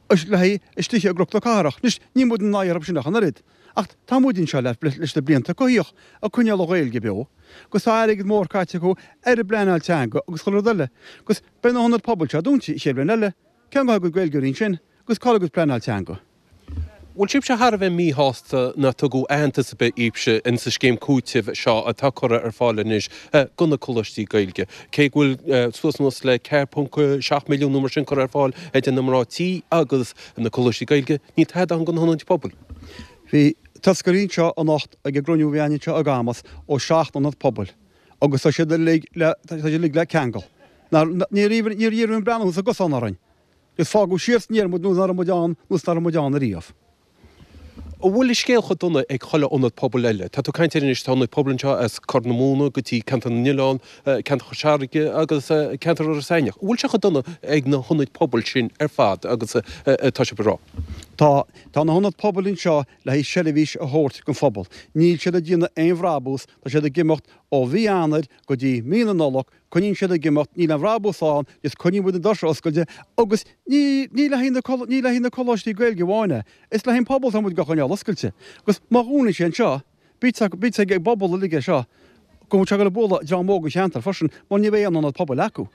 le haghaidh istigh i gCnoc na Cathrach. Anois, níl muid in aghaidh orthu sin ach an oiread. Ach tá muid anseo leis na blianta coimhthíoch ag coinneáil an Ghaeilge beo, agus tá airgead mór caite acu ar an bpleanáil teanga agus chuile rud eile. Agus beidh na hionaid pobail seo dúnta an chéad bhliain eile. Cén gcaithfidh a gcuid Gaeilgeoirí ansin agus cá bhfuil a gcuid pleanáil teanga? Bhfuil sibhse thar a bheith míshásta nach tugadh aitheantas ar bith daoibhse in sa scéim cúitimh seo atá curtha ar fáil anois do na coláistí Gaeilge? Cé go bhfuil suas anuas le 4.7 milliún nó mar sin curtha ar fáil ag na mná tí agus na coláistí Gaeilge, níl tada ann do na hionaid pobail. Bhí toscairí anseo anocht ag an gcruinniú a bhí againn anseo i gCamus ó 7 ionad pobail agus tá siad uilig le tá siad uilig le ceangal. Níor iarradh aon breathnú sa gcosán orainn. Is fágadh siar san aer muid nós nach raibh muid ann nós nach raibh muid ann ariamh. An bhfuil an scéal chomh dona ag chuile ionad pobail eile? Tá tú ag caint air anois, tá ionaid pobail anseo as Corr na Móna go dtí Ceantar na nOileán, Ceantar Chois Fharraige agus Ceantar Iorras Aithneach. An bhfuil sé chomh dona ag na hionaid pobail sin ar fad agus atá sibh ag rá? Tá. Tá na hionaid pobail anseo le haghaidh seirbhís a thabhairt don phobal. Níl siad ag déanamh aon bhrabús, tá siad ag imeacht ó mhí Eanáir go dtí mí na Nollag Coinníonn siad ag imeacht, níl aon bhrabús ann, is coinníonn muid na doirse oscailte agus ní, ní le haghaidh na, ní le haghaidh na coláistí Gaeilge amháin é, is le haghaidh an pobal atá muid á choinneáil oscailte. Agus má dhúnann sé anseo, bítear, bítear ag an bpobal uilig é seo, go bhfuil sé ag dul ag bualadh dream óg an cheantair freisin, mar ní bheidh aon ionad pobail acu.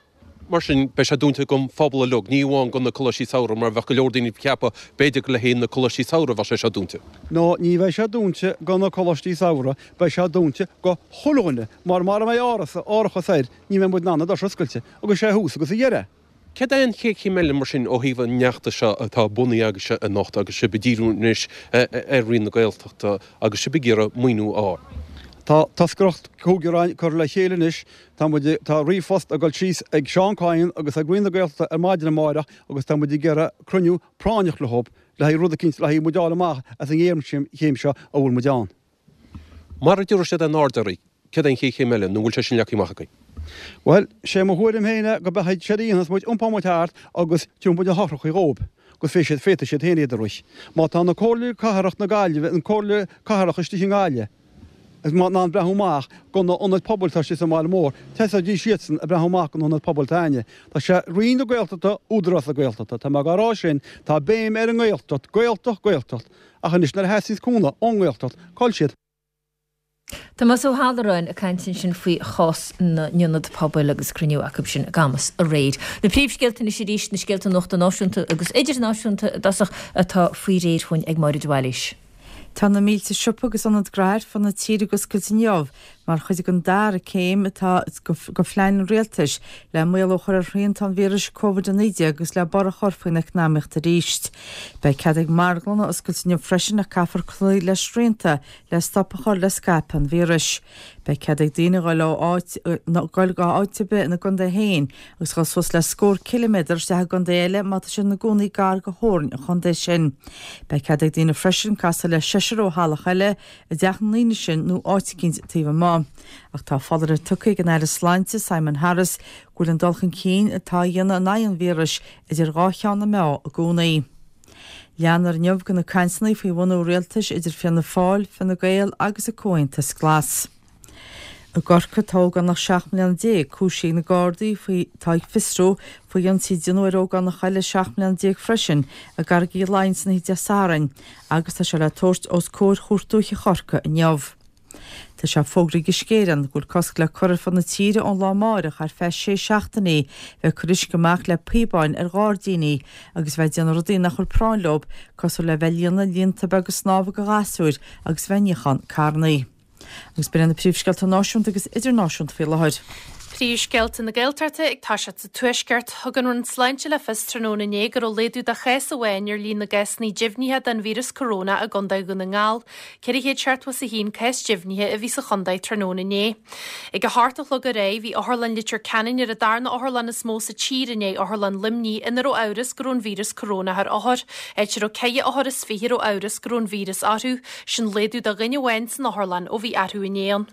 Mar sin, beidh sé dúnta don phobal uilig, ní amháin do na coláistí samhraidh, mar bheadh go leor daoine ag ceapadh, b'fhéidir gur le haghaidh na coláistí samhraidh a bheadh sé seo dúnta. No, ní bheidh sé dúnta do na coláistí samhraidh, beidh sé dúnta do chuile dhuine, mar mara mbeidh áras, árachas air, ní bheidh muid in ann na doirse a oscailt, agus sé thús agus a dheireadh. Céard é an chéad chéim eile mar sin ó thaobh an fheachtais seo atá bunaithe agaibhse anocht agus sibh ag díriú anois ar Roinn na Gaeltachta agus sibh ag iarraidh maoiniú a fháil? Tá toscaireacht cúigear againn curtha le chéile anois, tá muid, tá ríomhphost ag dul síos ag Seán Kyne agus ag Roinn na Gaeltachta ar maidin amáireach agus tá muid ag iarraidh cruinniú práinneach leo le haghaidh rud eicínt, le haghaidh muid a fháil amach as an ngéarchéim seo a bhfuil muid ann. Mara dtabharfaidh siad aon aird oraibh, céard é an chéad chéim eile, nó an bhfuil sé sin leagtha amach agaibh? Bhuel, sé mo thuairim féin é go beidh séard a dhéanfas muid, iompóidh muid thart agus tabharfaidh muid na heochracha dhóibh agus féadfaidh siad, féadfaidh siad féin iad a rith. Má tá na Comhairle Cathrach na Gaillimhe, an Comhairle Cathrach istigh i nGaillimh, in ann breathnú amach do na hionaid pobail atá istigh sa mbaile mór, tosaídís iadsan ag breathnú amach do na hionaid pobail atá againne. Tá sé Roinn na Gaeltachta, Údarás na Gaeltachta, tá mé ag rá sin, tá béim ar an nGaeltacht, Gaeltacht, Gaeltacht, ach anois nuair a theastaíonns cúnamh ón nGaeltacht, cá bhfuil siad? Tomás Ó hAlluráin ag caint ansin faoi chás na n-ionad pobail agus cruinniú acu sin i gCamus aréir. Na príomhscéalta anois arís, na scéalta nuachta náisiúnta agus idirnáisiúnta i dtosach atá faoi réir chugainn ag Máire de Bhailís. Tá na mílte siopa agus ionad gnaithe ar fud na tíre ag oscailt inniu mar chuid den dara céim atá de phlean an rialtais le maolú a chur ar shrianta an víris Covid-19 agus le borradh a chur faoin eacnamaíocht arís. Beidh cead ag marglanna oscailt inniu freisin ach caithfear cloí le srianta le stop a chur le scaipeadh an víris. Beidh cead ag daoine dhul ó áit dhul go áit ar bith ina gcontae féin agus dhul suas le scór ciliméadar isteach i gcontae eile má tá siad ina gcónaí gar do theorainn an chontae sin. Beidh cead ag daoine freisin casadh le seisear ó theaghlach eile i dteach na ndaoine sin nó áit eicínt taobh amuigh. Ach tá foláireamh tugtha ag an Aire Sláinte, Simon Harris, go bhfuil an dul chun cinn atá á dhéanamh in aghaidh an víris idir dhá cheann na meá i gcónaí. Leanfar inniu de na cainteanna faoi bhunú rialtais idir Fianna Fáil, Fine Gael agus an Comhaontas Glas. I gCorcaigh, tá ógánach 17 mbliana cúisithe ag na Gardaí faoi atá ag fiosrú faoi ionsaí a déanadh ar ógánach eile 17 mbliana freisin i gCarraig Uí Leighin san oíche Dé Sathairn agus tá sé le tabhairt os comhair Chúirt Dúiche Chorcaí inniu. Tá sé fógraithe ag Uisce Éireann go bhfuil cosc le cur ar fud na tíre ón lá amáireach ar feadh sé seachtainí bheith ag cur uisce amach le píobáin ar ghairdíní agus bheith ag déanamh rudaí nach bhfuil práinn leo cosúil le bheith ag líonadh líonta beaga snámha do ghasúir agus bheith ag níochán carrannaí. Agus b'in iad na príomhscéalta náisiúnta agus idirnáisiúnta faoi láthair. Príomhscéalta na Gaeltachta ag toiseacht sa Tuaisceart. Thug an Roinn Sláinte le fios tráthnóna inné go raibh laghdú de chás amháin ar líon na gcásanna deimhnithe den víreas corona i gContae Dhún na nGall. 471 cás deimhnithe a bhí sa chontae tráthnóna inné. Ag a hocht a chlog aréir bhí Otharlann Leitir Ceanainn ar an darna otharlann is mó sa tír i ndiaidh Otharlann Luimnigh ina raibh amhras go raibh an víreas corónach ar othair, áit a raibh 4 othar is 20 a raibh amhras go raibh an víreas orthu. Sin laghdú de dhuine amháin san otharlann ó bhí arú inné ann.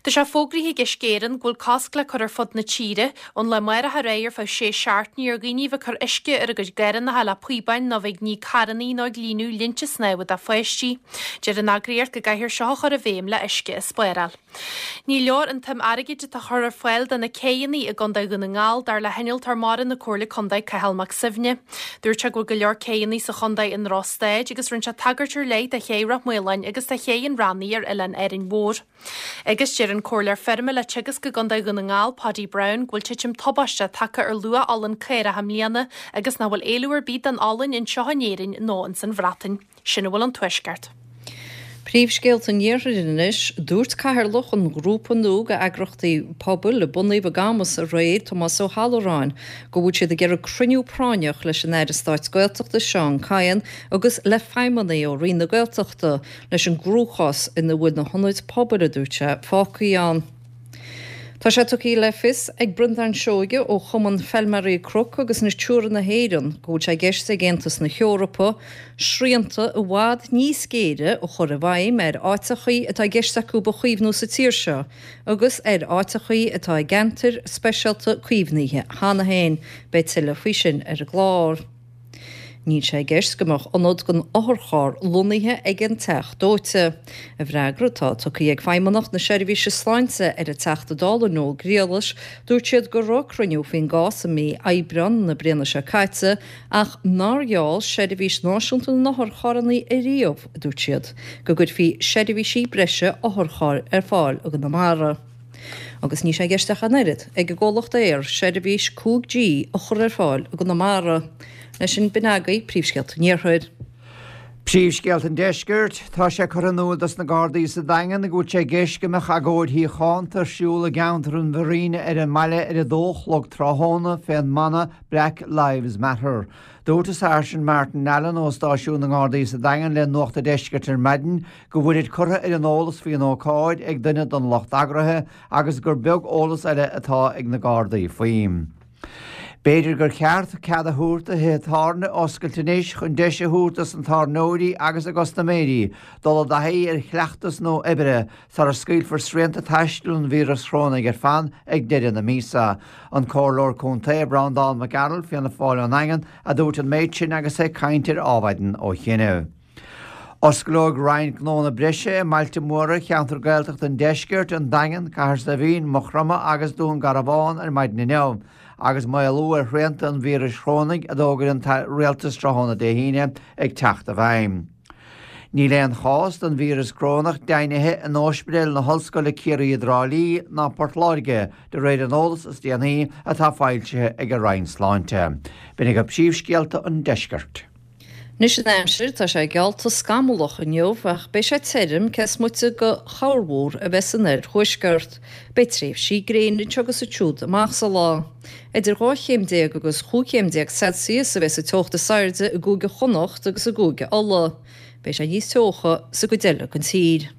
Tá sé fógraithe ag Uisce Éireann go bhfuil cosc le cur ar fud na tíre, ón lá amárach ar aghaidh ar feadh sé seachtainí ar dhaoine a bheith ag cur uisce ar a gcuid garrannacha le píobáin nó bheith ag ní carrannaí nó ag líonadh linnte snámha do pháistí. Deir an eagraíocht go gcaithfear seo a chur i bhfeidhm le uisce a spáráil. Ní leor an tsuim airgid atá curtha ar fáil do na céidheanna i gContae Dhún na nGall, dar le hinnealtóir mara na Comhairle Contae Cathal Mac Suibhne. Dúirt sé go bhfuil go leor céidheanna sa chontae i ndrochstaid agus rinne sé tagairt ar leith do ché Ráth Maoláin agus do ché an Bhreathnaigh ar Oileán Árainn Mhór. Agus deir an Comhairleoir Feirme le Teagasc i gContae Dhún na nGall, Paudie Browne, go bhfuil titim tubaisteach tagtha ar luach olann caorach i mbliana agus nach bhfuil éileamh ar bith don olann anseo in Éirinn nó ins an Bhreatain. Sin a bhfuil ón Tuaisceart. Príomhscéalta an Iarthair anois. Dúirt Cathaoirleach an ghrúpa nua d'eagrachtaí pobail a bunaíodh i gCamus aréir, Tomás Ó hAlluráin, go bhfuil siad ag iarraidh cruinniú práinneach leis an Aire Stáit Gaeltachta Seán Kyne agus le feidhmeannaigh ó Roinn na Gaeltachta leis an gcruachás ina bhfuil na hionaid pobail, a dúirt sé, fágtha ann. Tá sé tugtha le fios ag Breandán Seoige ó Chumann Feilméaraí Cnoc agus Natura na hÉireann go bhfuil sé i gceist ag Aontas na hEorpa srianta i bhfad níos géire a chur i bhfeidhm ar áiteachaí atá i gceist acu a chaomhnú sa tír seo agus ar áiteachaí atá i gceantair speisialta caomhnaithe cheana féin. Beidh tuilleadh faoi sin ar an gclár. Níl sé i gceist go mbeadh ionad don otharcharr lonnaithe ag an Teach Dóite. I bhfreagra atá tugtha ag Feidhmeannacht na Seirbhíse Sláinte ar an Teachta Dála Noel Griallais, dúirt siad go raibh cruinniú faoin gcás i mí Aibreán na bliana seo caite ach nár gheall Seirbhís Náisiúnta na nOtharcharranna ariamh, a dúirt siad, go gcuirfí seirbhísí breise otharchairr ar fáil i gConamara. Agus níl sé i gceist ach an oiread ag an gcomhlacht Eir seirbhís 5G a chur ar fáil i gConamara. Leis sin, b'in agaibh príomhscéalta an Iarthair. Príomhscéalta an Deiscirt, Tá sé curtha in iúl dos na Gardaí sa Daingean go bhfuil sé i gceist go mbeadh agóid shíochánta ar siúl i gceantar an Mhuirín ar an mbaile ar a dó a chlog tráthnóna fén mana Black Lives Matter. Dúirt an Sáirsint Martin Allen ó stáisiún na nGardaí sa Daingean le Nuacht an Deiscirt ar maidin go bhfuilid curtha ar an eolas faoin ócáid ag duine den lucht eagraithe agus gur beag eolas eile atá ag na Gardaí faoi. B'fhéidir gur cheart cead a thabhairt do thithe tábhairne oscailt anois chun deis a thabhairt dos na tábhairneoirí agus a gcustaiméirí dul i dtaithí ar chleachtas nua oibre sara scaoilfear srianta taistil an víreas chrónaigh ar fad ag deireadh na míosa. An Comhairleoir Contae Breandán Mac Gearailt, Fianna Fáil ón nDaingean, a dúirt an méid sin agus é ag caint ar Adhmhaidin ó chianaibh. Osclóidh roinnt gnónna breise i mbailte móra cheantar Gaeltachta an Deiscirt, An Daingean, Cathair Saidhbhín, Maigh Chromtha agus Dún Garbhán ar maidin inniu, agus maolú ar shrianta an víris chrónaigh a d'fhógair an Rialtas tráthnóna Dé hAoine ag teacht i bhfeidhm. Níl aon chás den víreas crónach deimhnithe in Ospidéal na hOllscoile Ciarraí i dTrá Lí ná Port Láirge, de réir an eolas is déanaí atá foilsithe ag an Roinn Sláinte. B'in agaibh príomhscéalta an deiscirt. Anois an aimsir, tá sé geallta scamallach inniu ach beidh sé tirim cé is moite de chorrmhúr a bheith san oirthuaisceart. Beidh tréimhsí gréine anseo agus ansiúd amach sa lá. Idir 12 chéim agus 15 chéim Celsius a bheidh sa teocht is airde i gCúige Chonnacht agus i gCúige Uladh. Beidh sé níos teocha sa gcuid eile den tír.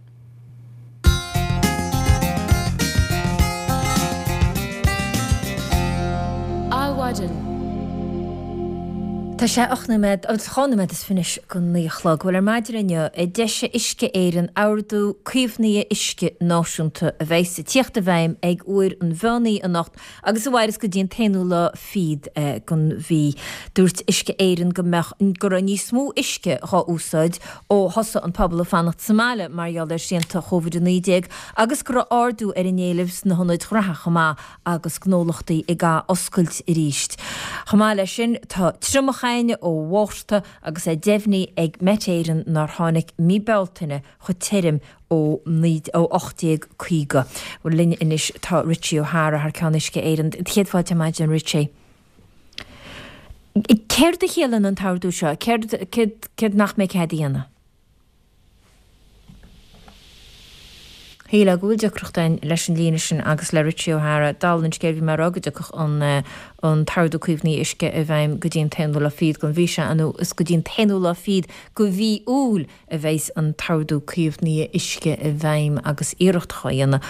Adhmhaidin. Tá sé 8 nóiméad, 2 nóiméad is fiche go 9 a chlog. Bhuel, ar maidin inniu, d'eisigh Uisce Éireann Ordú Caomhnaithe Uisce Náisiúnta a bheas ag tíocht i bhfeidhm ag uair an mheán oíche anocht agus a mhairfeas go dtí an t-aonú lá fichead den mhí. Dúirt Uisce Éireann go mbeadh, go raibh níos mó uisce dhá úsáid ó thosaigh an pobal ag fanacht sa mbaile mar gheall ar shrianta Covid-19 agus go raibh ardú ar an éileamh sna hionaid ghraithe chomh maith agus gnólachtaí ag ath-oscailt arís. Chomh maith leis sin tá triomach againn ó Mhárta agus é deimhnithe ag Met Éireann nár tháinig mí Bealtaine chomh tirim ó 1850. Bhuel linn anois tá Richie O'Hara thar ceann Uisce Éireann. Céad fáilte ar maidin Richie. Céard a chiallaíonn an t-ordú seo? Céard, céard, céard nach mbeidh cead a dhéanamh? Shílfeá go bhfuil deacracht againn leis an líne sin agus le Richie O'Hara. Dála an scéil bhí mé ag rá go dtiocfadh an an t-ordú caomhnaithe uisce i bhfeidhm go dtí an t-aonú lá fichead den mhí seo nó is go dtí an t-aonú lá fichead de mhí Iúil a bheas an t-ordú caomhnaithe uisce i bhfeidhm agus iarracht á dhéanamh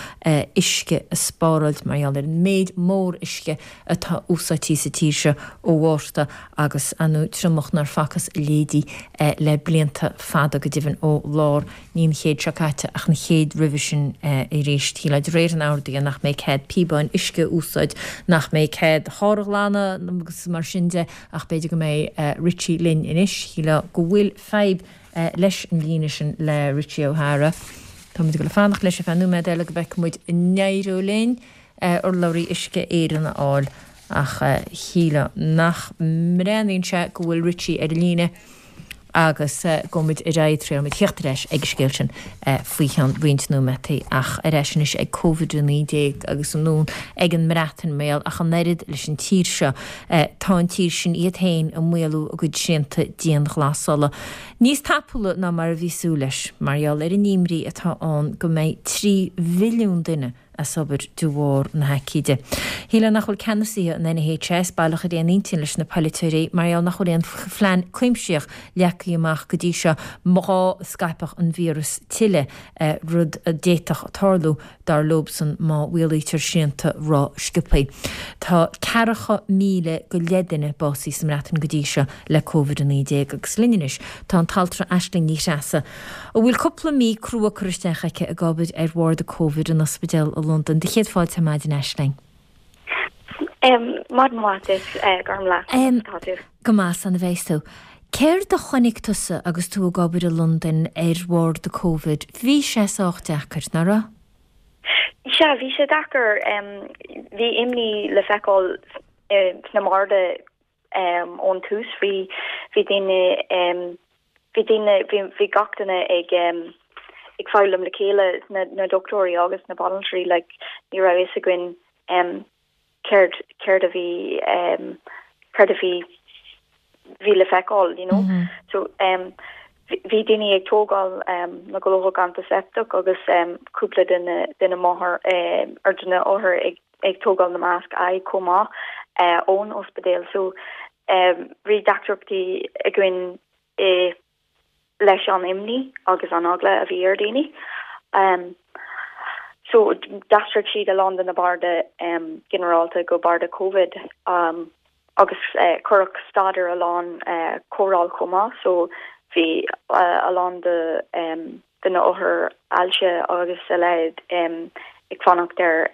uisce a spáráilt mar gheall ar an méid mór uisce atá úsáidte sa tír seo ó Mhárta agus ar ndóigh triomach nár facthas a leithéidí le blianta fada, go deimhin ó lár ní an chéid seo caite ach an chéad roimhe sin. arís. Shílfeá de réir an ordaithe nach mbeidh cead píobáin uisce a úsáid, nach mbeidh cead carr a ghlanadh agus mar sin de ach b'fhéidir go mbeidh Richie linn anois. Shílfeá go bhfuil fadhb leis an líne sin le Richie O'Hara. Táimid ag dul a fanacht leis ar feadh nóiméad eile go bhfeicfidh muid an n-éireoidh linn urlabhraí Uisce Éireann a fháil ach shílfeá nach mbreathnaíonn sé go bhfuil Richie ar an líne agus gabhfaidh muid ar aghaidh triailfidh muid theacht ar ais ag an scéal sin faoi cheann roinnt nóiméataí ach ar ais anois ag Covid-19 agus anonn ag an mBreatain mar gheall ach an oiread leis an tír seo tá an tír sin iad féin ag maolú a gcuid srianta dianghlasála níos tapúla ná mar a bhí súil leis mar gheall ar an imní atá ann go mbeidh 3 mhilliún duine as obair de bharr na haicíde. Shílfeá nach bhfuil ceannasaithe an NHS baileach ar aon intinn leis na polaiteoirí mar gheall nach bhfuil aon phlean cuimsitheach leagtha amach go dtí seo má scaipfeadh an víreas tuilleadh, rud a d'fhéadfadh tarlú, dar leobsan, má mhaolaítear srianta ró-sciobtha. Tá ceathracha míle go leith duine básaithe sa mBreatain go dtí seo le Covid-19 agus linn anois tá an t-altra Aisling Ní Threasa, a bhfuil cúpla mí crua curtha isteach aici ag obair ar bharda Covid in ospidéal i Londain. Do chéad fáilte ar maidin, Aisling. Maidin mhaith duit, Gormlaith. Conas atá tú? Go maith, slán a bheas tú. Céard a chonaic tusa agus tú ag obair i Londain ar bharda Covid? Bhí sé sách deacair, nach raibh? Sea, bhí sé deacair. Bhí imní le feiceáil sna barda ón tús. Bhí bhí daoine bhí daoine bhí bhí gach duine ag ag foghlaim le chéile, na na dochtúirí agus na banaltraí like ní raibh fhios againn céard céard a bhí céard a bhí bhí le feiceáil you know. So bhí daoine ag tógáil na glóthach antaseptach agus cúpla de na de na máthair ar de na othair ag ag tógáil na masc aghaidh chomh maith ón ospidéal so bhí deacrachtaí againn i leis an imní agus an eagla a bhí ar daoine. So d'aistrigh siad a lán de na barda ginearálta go barda Covid agus cuireadh stad ar a lán cóireáil chomh maith so bhí a lán de de na othair ailse agus a leithéid ag fanacht ar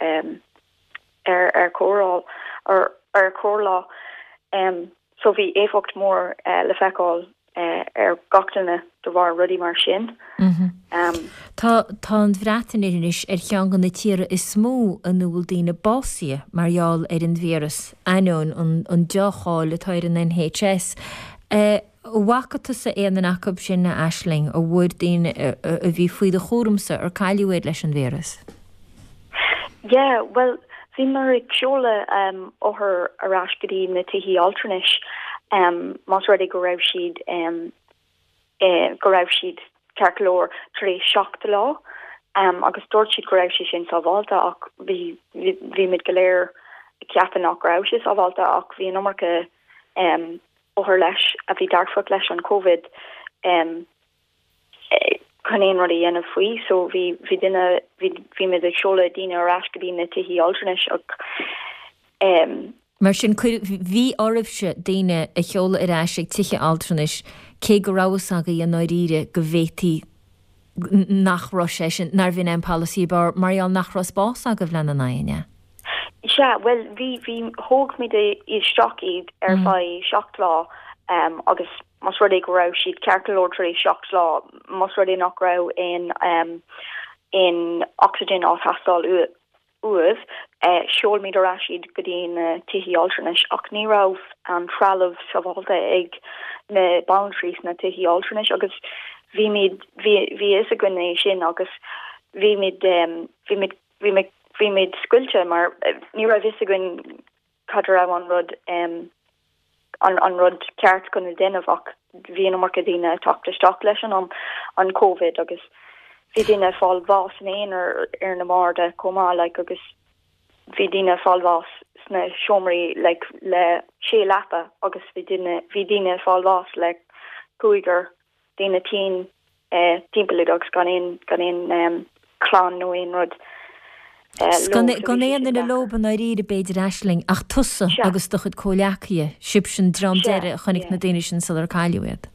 ar ar chóireáil ar ar chóireáil so bhí éifeacht mór le feiceáil ar gach duine de bharr rudaí mar sin. Tá tá an Bhreatain anois ar cheann de na tíortha is mó ina bhfuil daoine básaithe mar gheall ar an víreas, ainneoin an an deá-cháil atá ar an NHS. An bhfaca tusa aon duine acu sin, a Aisling, an bhfuair daoine a bhí faoi do chúramsa ar cailleadh iad leis an víreas? Yeah, bhuel, bhíomar ag seoladh othair ar ais go dtí na tithí altranais más rud é go raibh siad go raibh siad ceart go leor tar éis 7 lá agus dúirt siad go raibh sé sin sábhálta ach bhí bhí muid go léir ag ceapadh nach raibh sé sábhálta ach bhí an iomarca othar leis a bhí dearfach leis an Covid chun aon rud a dhéanamh faoi so bhí bhí duine bhí bhí muid ag seoladh daoine ar ais go dtí na tithí altranais ach em. Mar sin cuir bhí oraibhse daoine a sheoladh ar ais ag tithe altranais cé go raibh fhios agaibh i ndáiríre go bhféadfaí nach raibh sé sin, nárbh in é an polasaí ab fhearr mar gheall nach raibh spás agaibh lena n-aghaidh, an ea? Sea, bhuel, bhí, bhí, thóg muid isteach iad ar feadh 7 lá agus más rud é go raibh siad ceart go leor tar éis 7 lá, más rud é nach raibh aon, aon oxygen á theastáil uaibh, sheol muid ar ais iad go dtí na tithí altranais ach ní raibh an trealamh sábhálta ag na banaltraí sna tithí altranais agus bhí muid, bhí, bhí a fhios againn é sin agus bhí muid, bhí muid, bhí muid, bhí muid scoilte mar ní raibh fhios againn cad a raibh an rud an rud ceart chun a déanamh ach bhí an iomarca daoine ag teacht isteach leis an an Covid agus bhí daoine ag fáil bháis ina aonar ar na barda chomh maith like agus bhí daoine ag fáil bháis sna seomraí like le sé leapa agus bhí daoine bhí daoine ag fáil bháis le cúigear daoine tinn timpeall iad agus gan aon, gan aon chlann nó aon rud leo. Gan aon duine leob i ndáiríre b'fhéidir Aisling, ach tusa agus do chuid comhleacaithe, sibhse an dream deiridh a chonaic na daoine sin sular cailleadh iad.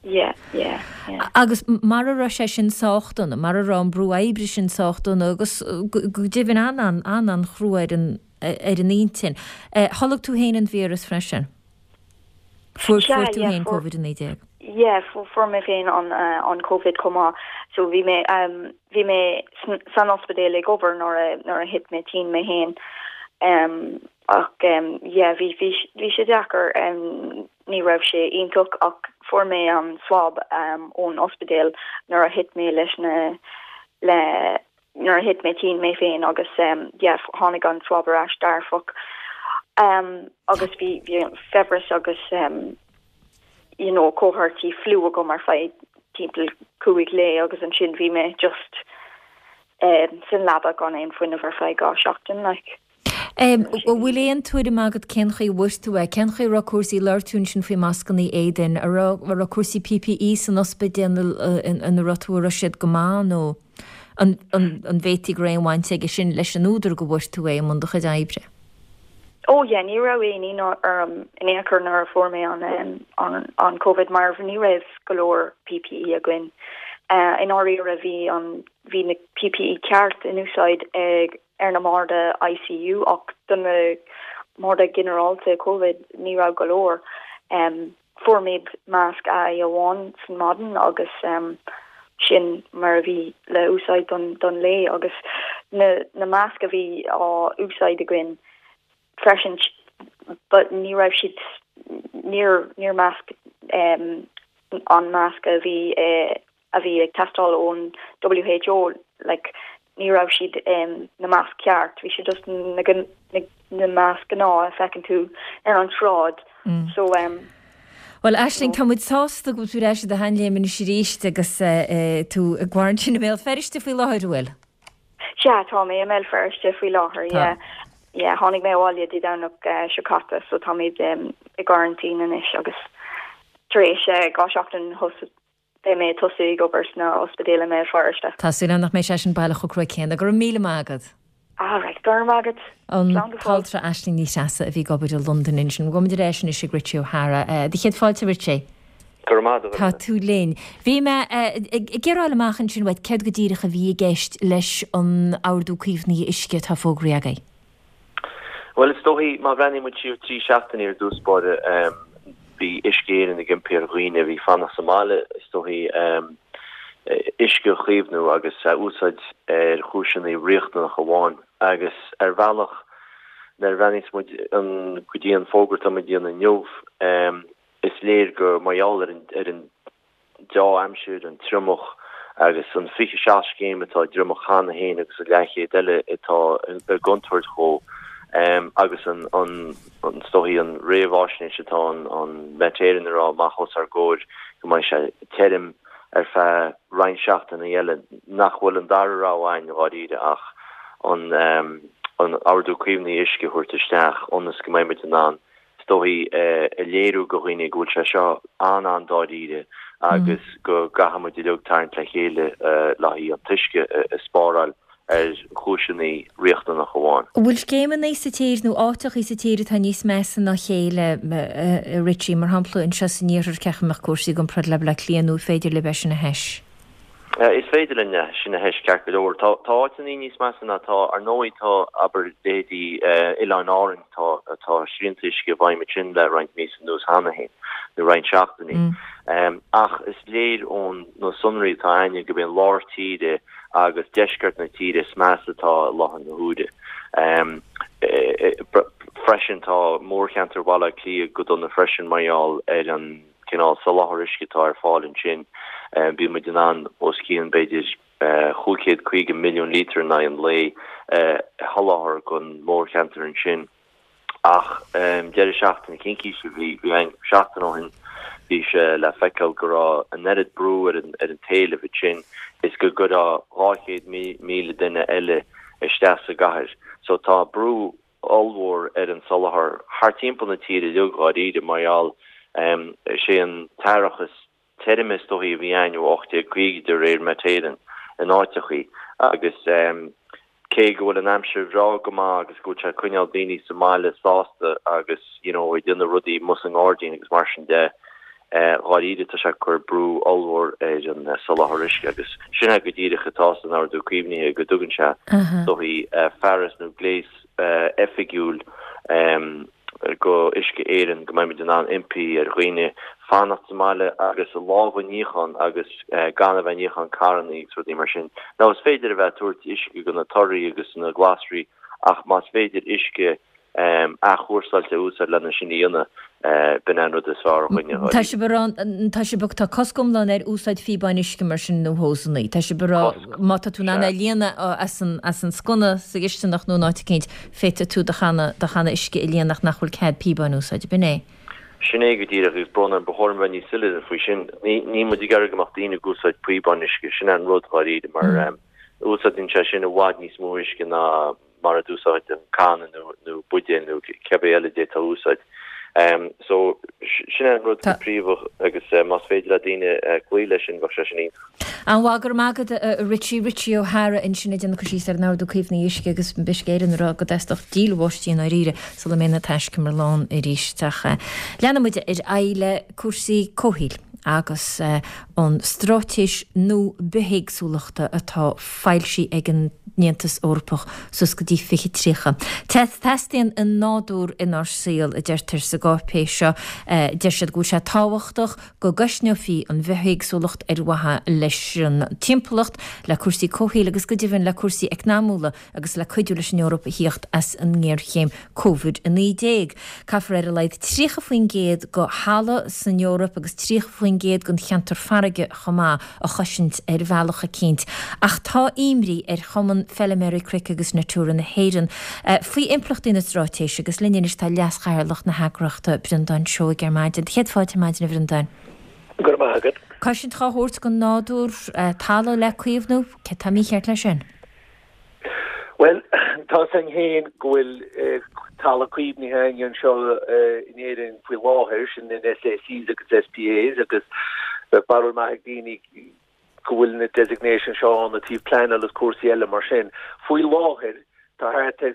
Yeah, yeah. Yeah. Agus mara raibh sé sin sách dona, mara raibh an brú oibre sin sách dona agus go deimhin an-an-chrua ar an ar an intinn, tholg tú féin an víreas freisin? Fuair fuair tú féin Covid-19? Yeah, fuair mé féin an an Covid chomh maith. So bhí mé bhí mé san ospidéal ag obair nuair a nuair a thit mé tinn mé féin. Ach yeah, bhí bhí bhí sé deacair. Ní raibh sé iontach ach fuair mé an swab ón ospidéal nuair a thit mé leis na le nuair a thit mé tinn mé féin agus yeah tháinig an swab ar ais dearfach agus bhí bhí fiabhras agus you know comharthaí fliú agam ar feadh timpeall 5 lae agus ansin bhí mé just san leaba gan aon fuinneamh ar feadh 2 seachtain like. An bhfuil aon tuairim agat cén chaoi a bhfuair tú é? Cén chaoi a raibh cúrsaí, labhair tú ansin faoi mascannaí éadain, an raibh, an raibh cúrsaí PPE san ospidéal ina raibh tú, an raibh siad go maith nó an, an, an bhféadfaí go raibh aon bhaint aige sin leis an údar go bhfuair tú é i mbun do chuid oibre? Ó yeah, ní raibh aon ionadh orm in aon chor nuair a fuair mé an, an, an Covid mar ní raibh go leor PPE againn. I ndáiríre bhí an, bhí na PPE ceart in úsáid ag ar na mbarda ICU ach do na mbarda ginearálta Covid ní raibh go leor. Fuair muid masc aghaidhe amháin san maidin agus sin mar a bhí le úsáid don don lae agus na na masc a bhí á úsáid againn freisin but ní raibh siad níor níor masc an masc a bhí a bhí ag teastáil ón WHO like ní raibh siad na masc ceart, bhí siad just na na masc gnáth a feiceann tú ar an tsráid so um Bhuel Aisling, tá muid sásta go bhfuil tú ar ais i do sheanléim anois arís agus tú i gcoraintín i mBéal Feirste faoi láthair, an bhfuil? Sea, tá mé i mBéal Feirste faoi láthair, yeah. Yeah, tháinig mé abhaile Dé Domhnach seo caite so táimid i gcoraintín anois agus tar éis 2 seachtain Beidh mé ag tosú ag obair sna ospidéal i mBéal Feirste. Tá súil agam nach mbeidh sé sin baileach chomh crua céanna. Go raibh míle maith agat. Alright, go raibh maith agat. An Slán go fóill. t-altra Aisling Ní Threasa a bhí ag obair i Londain ansin. Gabhaimid ar ais anois ag Richie O'Hara. Do chéad fáilte, Richie. Go raibh maith agat. Tá tú linn. Bhí mé ag iarraidh fháil amach ansin uait céard go díreach a bhí i gceist leis an Ordú Caomhnaithe Uisce atá fógraithe agaibh. Bhuel, is dóichí, má bhreathnaíonn muid siar trí seachtainí ar dtús báire, bhí Uisce Éireann ag impí ar dhaoine a bhí fanacht sa mbaile, is dóichí, uisce a chaomhnú agus a úsáid ar chúiseanna riachtanacha amháin. Agus ar bhealach, nuair a bhreathnaíos muid go dtí an fógra atá muid a dhéanamh inniu, is léir gur mar gheall ar an deá-aimsir, an triomach agus an 27 scéim atá i dtriomach cheana féin agus an leathchéad eile atá i gcontúirt dhó agus an, is dóichí, an réamháisnéis atá an Met Éireann ag rá amach os ár gcomhair go mbeidh sé tirim ar feadh roinnt seachtainí eile, nach bhfuil an dara rogha againn dháiríre ach an Ordú Caomhnaithe Uisce a thabhairt isteach ionas go mbeidh muid in ann is dóichí, a léiriú go dhaoine go bhfuil sé seo an-an-dáiríre agus go gcaithfidh muid uilig tarraingt le chéile le haghaidh an t-uisce a spáráil ar chúiseanna riachtanacha amháin. An bhfuil scéimeanna sa tír nó áiteachaí sa tír atá níos measa ná a chéile, a Richie? Mar shampla, anseo san iarthar, cén chaoi a mbeadh cúrsaí i gcomparáid le Baile Átha Cliath nó an féidir libh é sin a thomhas? Is féidir linn é sin a thomhas ceart go leor. Tá áiteanna níos measa ná tá, ar ndóigh, tá, abair, leithéidí Oileáin Árann, tá, tá srianta uisce i bhfeidhm ansin le roinnt míosa anuas cheana féin, nó roinnt seachtainí. Ach is léir ón na sonraí atá againne gurb é an lár tíre agus deisceart na tíre is measa atá i láthair na huaire. Freisin tá mórcheantar Bhaile Átha Cliath go dona freisin mar gheall ar an cineál soláthar uisce atá ar fáil ansin, bíonn muid in ann os cionn, b'fhéidir, 550 milliún lítear in aghaidh an lae a sholáthar don mhórcheantar ansin. Ach deireadh seachtaine, cincíse a bhí ann seachtain ó shin, bhí sé le feiceáil go raibh an oiread brú ar an t-éileamh ansin is go gcuirfeá 200,000 duine eile isteach sa gcathair. So tá brú ollmhór ar an soláthar thart timpeall na tíre uilig dháiríre mar gheall is é an t-earrach is tirime is dóichí a bhí againn ó 1850 de réir Met Éireann in áiteachaí agus cé go bhfuil an aimsir bhreá go maith agus go bhfuil sé ag coinneáil daoine sa mbaile sásta agus you know ag déanamh rudaí amuigh sa ngairdín agus mar sin de. Dháiríre tá sé ag cur brú ollmhór ar an soláthar uisce agus sin é go díreach atá san Ordú Caomhnaithe go dtugann sé is dóichí fearas nó gléas oifigiúil go Uisce Éireann go mbeidh muid in ann impí ar dhaoine fanacht sa mbaile agus a lámha a níochán agus gan a bheith ag níochán carrannaí agus rudaí mar sin. Now is féidir a bheith ag tabhairt uisce go na torthaí agus na glasraí ach más féidir uisce athchúrsáilte a úsáid lena sin a dhéanamh, b'in é an rud is fearr dhúinne. Tá sibh ag rá, tá sibh ag, tá cosc iomlán ar úsáid phíobáin uisce mar sin nó hósannaí. Tá sibh ag rá má tá tú in ann é a líonadh as an, as an sconna sa gcisteanach nó in áit eicínt, féadfaidh tú do channa, do channa uisce a líonadh ach nach bhfuil cead píobáin a úsáid. B'in é. Sin é go díreach agus brón orm, ba chóir dom a bheith níos soiléire faoi sin. Ní, níl muid ag iarraidh go mbeadh daoine ag úsáid píobáin uisce, sin é an rud dháiríre mar úsáideann sé sin i bhfad níos mó uisce ná mar a d'úsáid an canna nó nó buidéal nó cibé eile a d'fhéadfá a úsáid. So, sin é an rud go príomha agus más féidir le daoine cloí leis sin, bheadh sé sin iontach. An-mhaith, go raibh maith agat a Richie. Richie O'Hara ansin ag déanamh cur síos ar an Ordú Caomhnaithe Uisce agus Uisce Éireann ag rá go dteastódh díol bháistí i ndáiríre sula mbeidh na taiscumair lán arís. Ach leanfaidh muid ar aghaidh le cúrsaí comhshaoil agus an straitéis nua bithéagsúlachta atá foilsithe ag an Aontas Eorpach suas go dtí 2030. Teastaíonn an nádúr inár saol, a deirtear sa gcáipéis seo. Deir siad go bhfuil sé tábhachtach go gcoisneofaí an bhithéagsúlacht ar mhaithe leis an timpeallacht, le cúrsaí comhshaoil agus go deimhin le cúrsaí eacnamúla. agus le cuidiú leis an Eoraip a thíocht as an ngéarchéim Covid-19. Caithfear ar a laghad 30% de thalamh san Eoraip agus 30% den cheantar farraige chomh maith a chosaint ar bhealach eicínt. Ach tá imní ar Chumann Feiliméaraí Cnoic agus Natura na hÉireann faoi impleachtaí na straitéise agus linn anois tá Leas-Chathaoirleach na heagraíochta, Breandán Seoighe ar maidin. Céad fáilte ar maidin a Bhreandáin. Go raibh maith agat. Cosaint á thabhairt don nádúr, talamh le caomhnú, céard tá mícheart leis sin? Bhuel, tá 's againn féin go bhfuil talamh caomhnaithe againn anseo in Éirinn faoi láthair, sin in SACs agus SPAs agus bheadh barúil maith ag daoine go bhfuil na designations seo ann ó thaobh pleanáil agus cúrsaí eile mar sin. Faoi láthair tá thart ar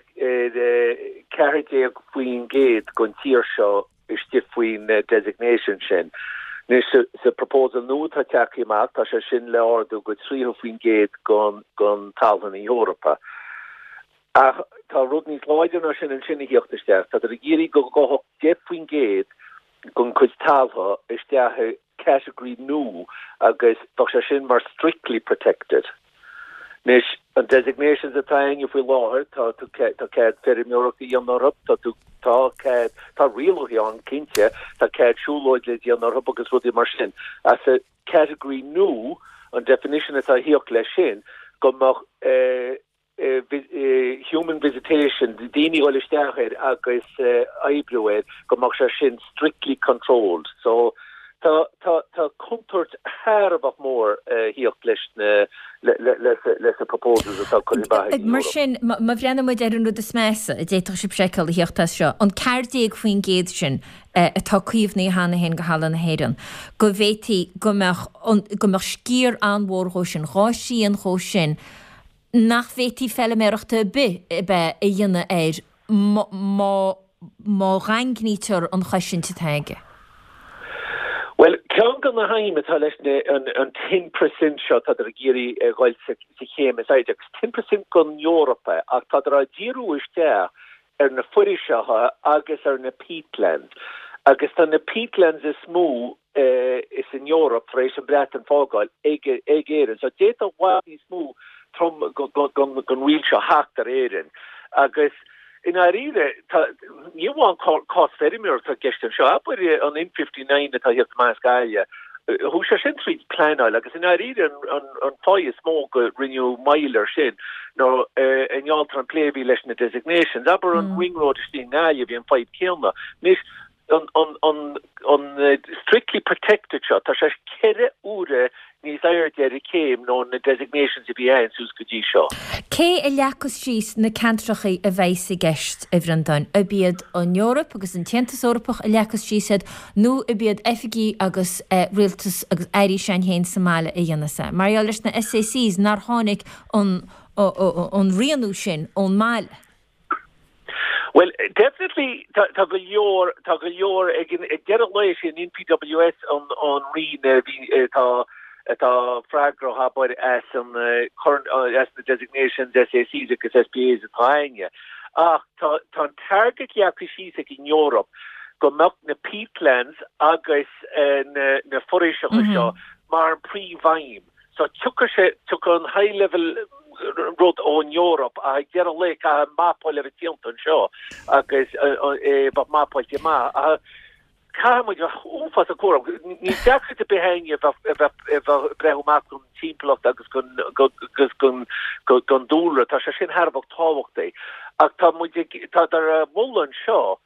14% den tír seo istigh faoin designation sin. Anois sa proposal nua atá tagtha amach, tá sé sin le ardú go 30% den talamh na hEorpa. Ach tá rud níos láidre ná sin ansin a thíocht isteach. Tádar ag iarraidh go gabhfadh 10% den chuid taltha isteach i category nua agus bheadh sé sin mar strictly protected. Anois, an designations atá againne faoi láthair, tá tú, tá cead feirmeoireacht a dhéanamh orthu, tá tú, tá cead, tá rialacha ann cinnte, tá cead siúlóid le déanamh orthu agus rudaí mar sin. Ach sa category nua, an definition atá a thíocht leis sin, go mbeadh eh, human visitation, daoine a dhul isteach air agus oibriú air, go mbeadh sé sin strictly controlled. So tá, tá, tá contúirt thar a bheith mór a thíocht leis na, le, le, leis na proposals atá curtha amach ag an Mar sin, má bhreathnaíonn muid ar an rud is measa a d'fhéadfadh sibh a fheiceáil a thíocht as seo, an 14% sin atá caomhnaithe cheana féin de thalamh na hÉireann, go bhféadfaí go mbeadh, go mbeadh sciar an-mhór dhó sin, dhá thrian dhó sin, nach bhféadfaí feiliméaracht ar bith ab ea a dhéanamh air má má dhaingnítear an chosaint atá aige. Bhuel, ceann de na haidhm atá leis na an ten per cent seo, tádar ag iarraidh a dhul sa chéim is airde, agus ten per cent den Eoraip é, ach tádar á díriú isteach ar na foraoiseacha agus ar na peatlands. Agus tá na peatlands is mó is san Eoraip tar éis an Bhreatain fágáil ag Éirinn. So d'fhéadfadh i bhfad níos mó trom den riail seo theacht ar Éirinn. Agus i ndáiríre, tá, ní amháin cás feirmeoireachta atá i gceist anseo. Abair an N59 atá ag tíocht amach as Gaillimh, chuaigh sé sin tríd pleanáil agus i ndáiríre an fáth is mó go rinneadh moill air sin ná i ngeall ar an plé a bhí leis na designations. Abair an Ring Road istigh i nGaillimh, bhí an fadhb céanna. Anois, an strictly protected seo, tá sé ceithre huaire níos airde ar an chéim ná na designations a bhí ann suas go dtí seo. Cé a leagfas síos na ceantrachaí a bheas i gceist, a Bhreandáin? Ab iad an Eoraip agus an tAontas Eorpach a leagfas síos iad nó ab iad oifigí agus rialtas agus airí s'againn féin sa mbaile a dhéanfas é? Mar gheall leis na SACs nár tháinig an rianú sin ón mbaile. Bhuel, definitely tá tá go leor tá go leor ag ag deireadh an lae sé an NPWS an an roinn a bhí atá atá freagrach abair as an cur as na designations SACs agus SPAs atá againne. Ach tá tá an target leagtha síos ag an Eoraip go mbeadh na peatlands agus na na foraoiseacha seo mar an príomhaidhm. So tiocfaidh sé, tiocfaidh an high level rud ón Eoraip ach ag deireadh an lae caithfidh mapáil a bheith déanta anseo agus é a bheith mapáilte amach. Ach caithfidh muid bheith uafásach cúramach. Níl deacracht ar bith againne a bheith a bheith a bheith ag breathnú amach don timpeallacht agus don agus don don dúlra. Tá sé sin thar a bheith tábhachtach. Ach tá muid ag, tá ar moladh anseo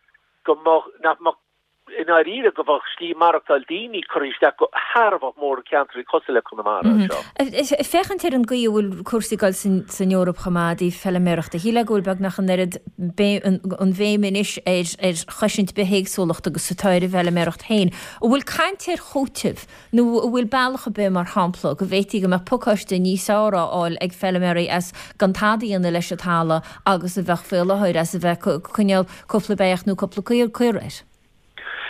go mbeadh, nach mbeadh i ndáiríre go bheadh slí maireachtáil daoine curtha isteach go thar a bheith mór i ceantraí cosúil le Conamara anseo. Ag féachaint ar an gcaoi a bhfuil cúrsaí ag dul san Eoraip chomh maith i dtaobh feiliméarachta, shílfeá go bhfuil beagnach an oiread an bhéim anois ar chosaint bithéagsúlachta agus atá ar an bhfeiliméaracht féin. An bhfuil caint ar chúiteamh Nó an bhfuil bealach ar bith, mar shampla, go bhféadfaí go mbeadh pacáiste níos fearr á fháil ag feiliméaraí as gan tada a dhéanamh leis an talamh agus a bheadh faoi láthair as a bheith ag coinneáil cúpla beach nó cúpla caora air?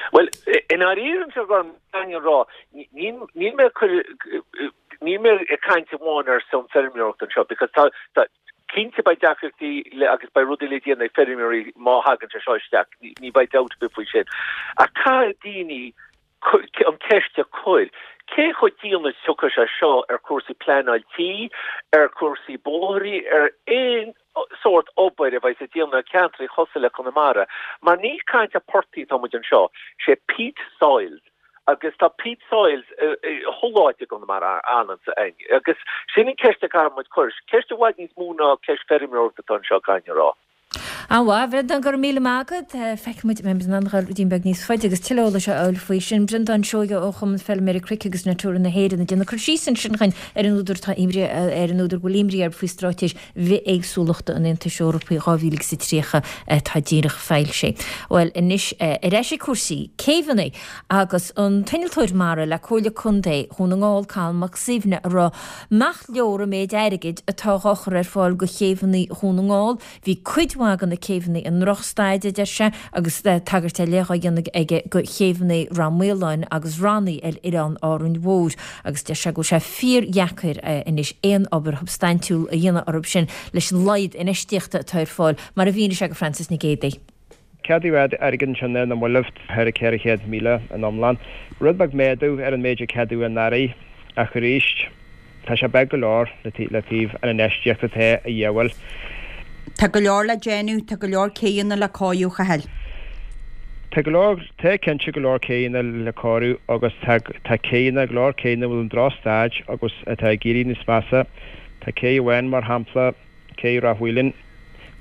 Bhuel, i ndáiríre anseo caithfidh mé a rá, níl mé ag cur, níl mé ag caint amháin ar son feirmeoireacht anseo because tá, tá, cinnte beidh deacrachtaí le agus beidh rudaí le déanamh ag feirmeoirí má thagann sé seo isteach, ní bheidh dabht ar bith faoi sin. Ach caithfidh daoine an ceist a chur, cé chomh dian is tiocfaidh sé seo ar chúrsaí pleanáil tí, ar chúrsaí bóithrí, ar aon sórt obair a bheidh ag déanamh i ceantraí chosúil le Conamara, mar ní caint ar portaigh atá muid anseo, sé peat soils agus tá peat soils chuile áit i gConamara ann agus sin an ceist a caithfidh muid cur, ceist i bhfad níos mó ná ceist feirmeoireachta atá anseo caithfidh mé a rá. An-mhaith, a Bhreandáin, go raibh míle maith agat. Feicfidh muid an mbeidh muid in ann a dhul ruidín beag níos faide agus tuilleadh eolais a fháil faoi sin. Breandán Seoighe ó Chumann Feilméaraí Cnoic agus Natura na hÉireann ag déanamh cur síos ansin chugainn ar an údar atá imní ar an údar go bhfuil imní air faoi Straitéis Bhithéagsúlachta an Aontais Eorpaigh 2030 atá díreach foilsithe. Bhuel, anois ar ais ag cúrsaí céibheanna agus an t-innealtóir mara le Comhairle Contae Dhún na nGall, Colm Mac Suibhne, a rá nach leor an méid airgid atá dhá chur ar fáil go chéibheanna Dhún na nGall. Bhí cuid mhaith de na céibheanna i ndrochstaid, a deir sé, agus tagairt ar leith á dhéanamh aige go chéibheanna Rath Maoláin agus Raithní ar oileán Árainn Mhór agus deir sé go bhfuil sé fíordheacair anois aon obair shubstaintiúil a dhéanamh orthu sin leis an laghad infheistíochta atá ar fáil, mar a mhínigh sé go Frances Nic Géadaigh. Ceadaíodh airgead ansin ar na mallaibh, thar 400,000 in iomlán. Rud beag méadú ar an méid a ceadaíodh anuraidh ach arís tá sé beag go leor le taobh an infheistíocht atá a dhíobháil. Tá go leor le déanamh, tá go leor céidheanna le cóiriú, a Chathail. Tá go leor, tá cinnte go leor céidheanna le cóiriú agus tá tá céidheanna, go leor céidheanna a bhfuil i ndrochstaid agus atá ag éirí níos measa. Tá cé amháin mar shampla, Cé Ráth Mhaoláin.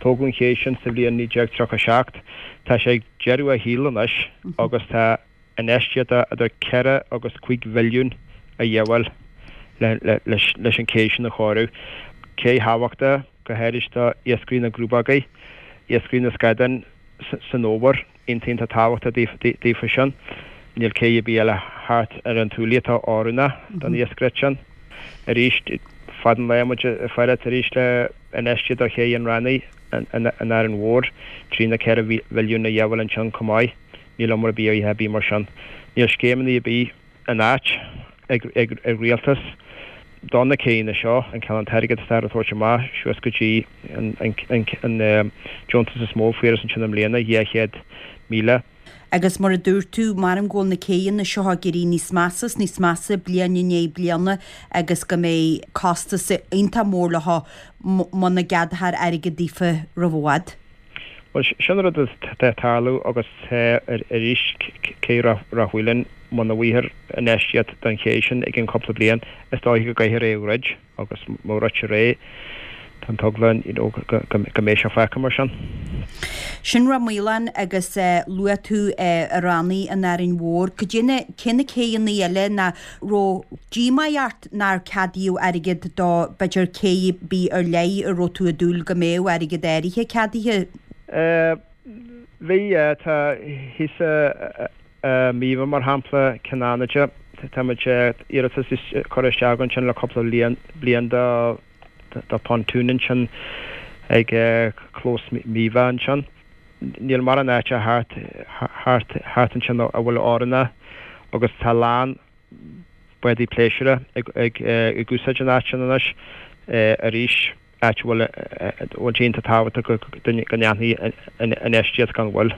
Tógadh an ché sin sa bhliain 1937. Tá sé ag deireadh a shaoil anois agus tá infheistíocht de idir 4 agus 5 mhilliún a dhíobháil leis an ché sin a chóiriú. Cé thábhachtach, go háirid do iascairí na gcrúbógaí, iascairí na scadán san fhómhar. Iontach tábhachtach daofa sin. Níl cé ar bith eile thart ar an tSúilí atá oiriúnach don iascaireacht sin. Arís, fad an lae muid ag faire arís le infheistíocht do ché an Raithnigh in Árainn Mhór, 3 nó 4 mhilliún a dhíobháil ansin chomh maith. Níl obair ar bith ar bith mar sin. Níl scéimeanna ar bith in áit ag ag rialtas do na céanna seo, an cineál an t-airgead atá á thabhairt amach suas go dtí an an deontas is mó a fuarthas ansin i mbliana, 200,000. Agus mar a dúirt tú, measaim go bhfuil na céidheanna seo ag éirí níos measa is níos measa bliain i ndiaidh bliana agus go mbeidh costas iontach mór leo muna gceadófar airgead daofa roimh i bhfad. Bhuel, sin rud atá ag tarlú agus tá arís, cé Ráth Mhaoláin, muna bhfaighthear infheistíocht don ché sin i gcionn cúpla bliain, is dóiche go gcaithfear é a dhruid agus má dhruidtear é, tá an t-eagla you know go mbeidh sé fágtha mar sin. Sin Ráth Maoláin agus luaigh tú Raithní in Árainn Mhór. Cad é na, cé na céidheanna eile nach raibh díomá ort nár ceadaíodh airgead do, b'fhéidir, cé ar bith ar leith a raibh tú ag dúil go mbeadh airgead áirithe ceadaithe? Bhí, tá thíos i Míobha, mar shampla, Cionn Fhánaide, tá muid, iarratas curtha isteach ansin le cúpla bliain do do pontoon ansin ag clós Míobha ansin. Níl mórán áite thart, thart, thart ansin a bhfuil oiriúnach agus tá a lán bádaí pléisiúra ag, ag, ag úsáid an áit sin anois arís, áit a bhfuil, a bhfuil sé iontach tábhachtach go, go ndéanfaí infheistíocht gan mhoill.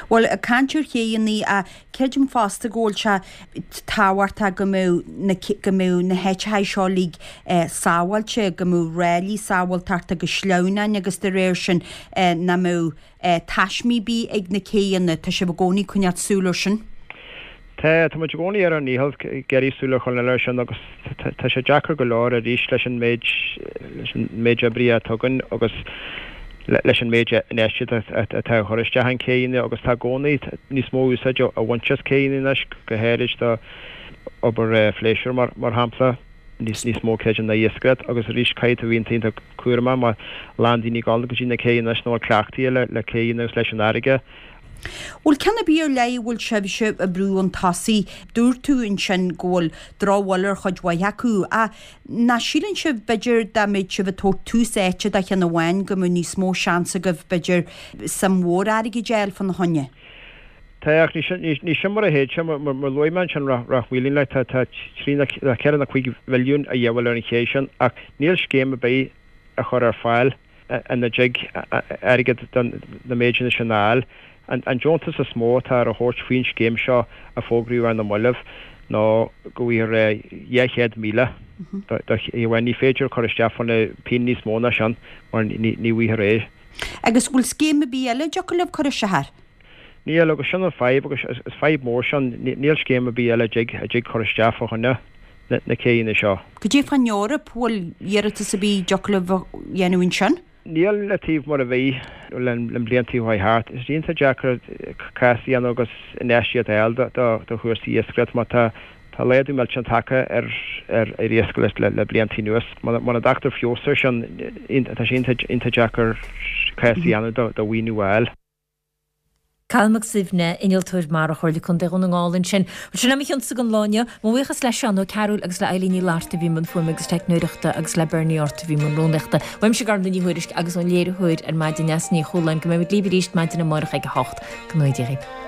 Bhuel, ag caint ar chéanna, creidim fosta go bhfuil sé tábhachtach go mbeadh na, go mbeadh na háiteacha seo uilig sábháilte, go mbeadh ráillí sábháilteachta agus sleamhnáin agus de réir sin nach mbeadh taismí ar bith ag na céanna. Tá sibh i gcónaí ag coinneáil súil air sin? Tá, tá muid i gcónaí ar ár ndícheall ag iarraidh súil a choinneáil air sin agus tá sé deacair go leor arís leis an méid, leis an méid oibrithe atá againn agus leis an méid infheistíochta atá á chur isteach in céanna agus tá i gcónaí níos mó úsáid á bhaint as céanna anois, go háirid do obair phléisiúir mar shampla, níos mó creidim ná iascaireacht agus arís caithfidh tú bheith iontach cúramach mar a lán daoine ag dul go dtí na céanna anois nach bhfuil cleachtaithe le céanna agus leis an fharraige. Bhfuil ceann ar bith ar leith a bhfuil sibhse ag brú chun tosaigh? Dúirt tú ansin go bhfuil drochbhail ar chuid mhaith acu ach nach síleann sibh b'fhéidir dá mbeadh sibh ag tabhairt tús áite do cheann amháin go mbeadh níos mó seans agaibh b'fhéidir suim mhór airgid a fháil fána choinne? Tá, ach ní sin mar a théid sé. Mar a luaigh mé ansin, Ráth Maoilín, like, tá 3 nó 4 nó 5 mhilliún a dhíobháil ar an ché sin, ach níl scéim ar bith á chur ar fáil ina dtig airgead do na méideanna sin a fháil. An deontas is mó atá ar a thabhairt faoin scéim seo a fógraíodh ar na mallaibh ná go bhfaighfear 200,000 do ché amháin. Ní féidir cur isteach fá choinne pingin níos mó ná sin mar ní bhfaighfear é. Agus bhfuil scéim ar bith eile a dtiocfadh libh cur isteach air? Níl, agus sin an fadhb, agus is fadhb mór sin, níl scéim ar bith eile a dtig, a dtig cur isteach fá choinne na céanna seo. Cad é fán Eoraip, bhfuil iarratas ar bith a dtiocfadh libh a dhéanamh ansin? Níl le taobh mar a bhí le blianta a chuaigh thart. Is iontach deacair cás a dhéanamh agus infheistíocht a fháil do chúrsaí iascaireachta mar tá tá laghdú millteanach tagtha ar ar iascaireacht le blianta anuas. Muna dtagtar feabhas air sin, tá sé iontach deacair cás a dhéanamh do mhaoiniú a fháil. Cathal Mac Suibhne, Innealtóir Mara Chomhairle Contae Dhún na nGall ansin. Bhuel, sin é mo chionsa don lá inniu. Mo bhuíochas le Seán Ó Cearúil agus le Eilín Ní Fhlatharta a bhí i mbun fuaime agus teicneoireachta agus le Bernie Art a bhí i mbun rúnaíochta. Uaimse Gormfhlaith Ní Thuairisg agus ón léiritheoir ar maidin Neasa Ní Chualáin go mbeimid libh arís maidin amárach ag a 8. Go ngnóthaí Dia dhaoibh.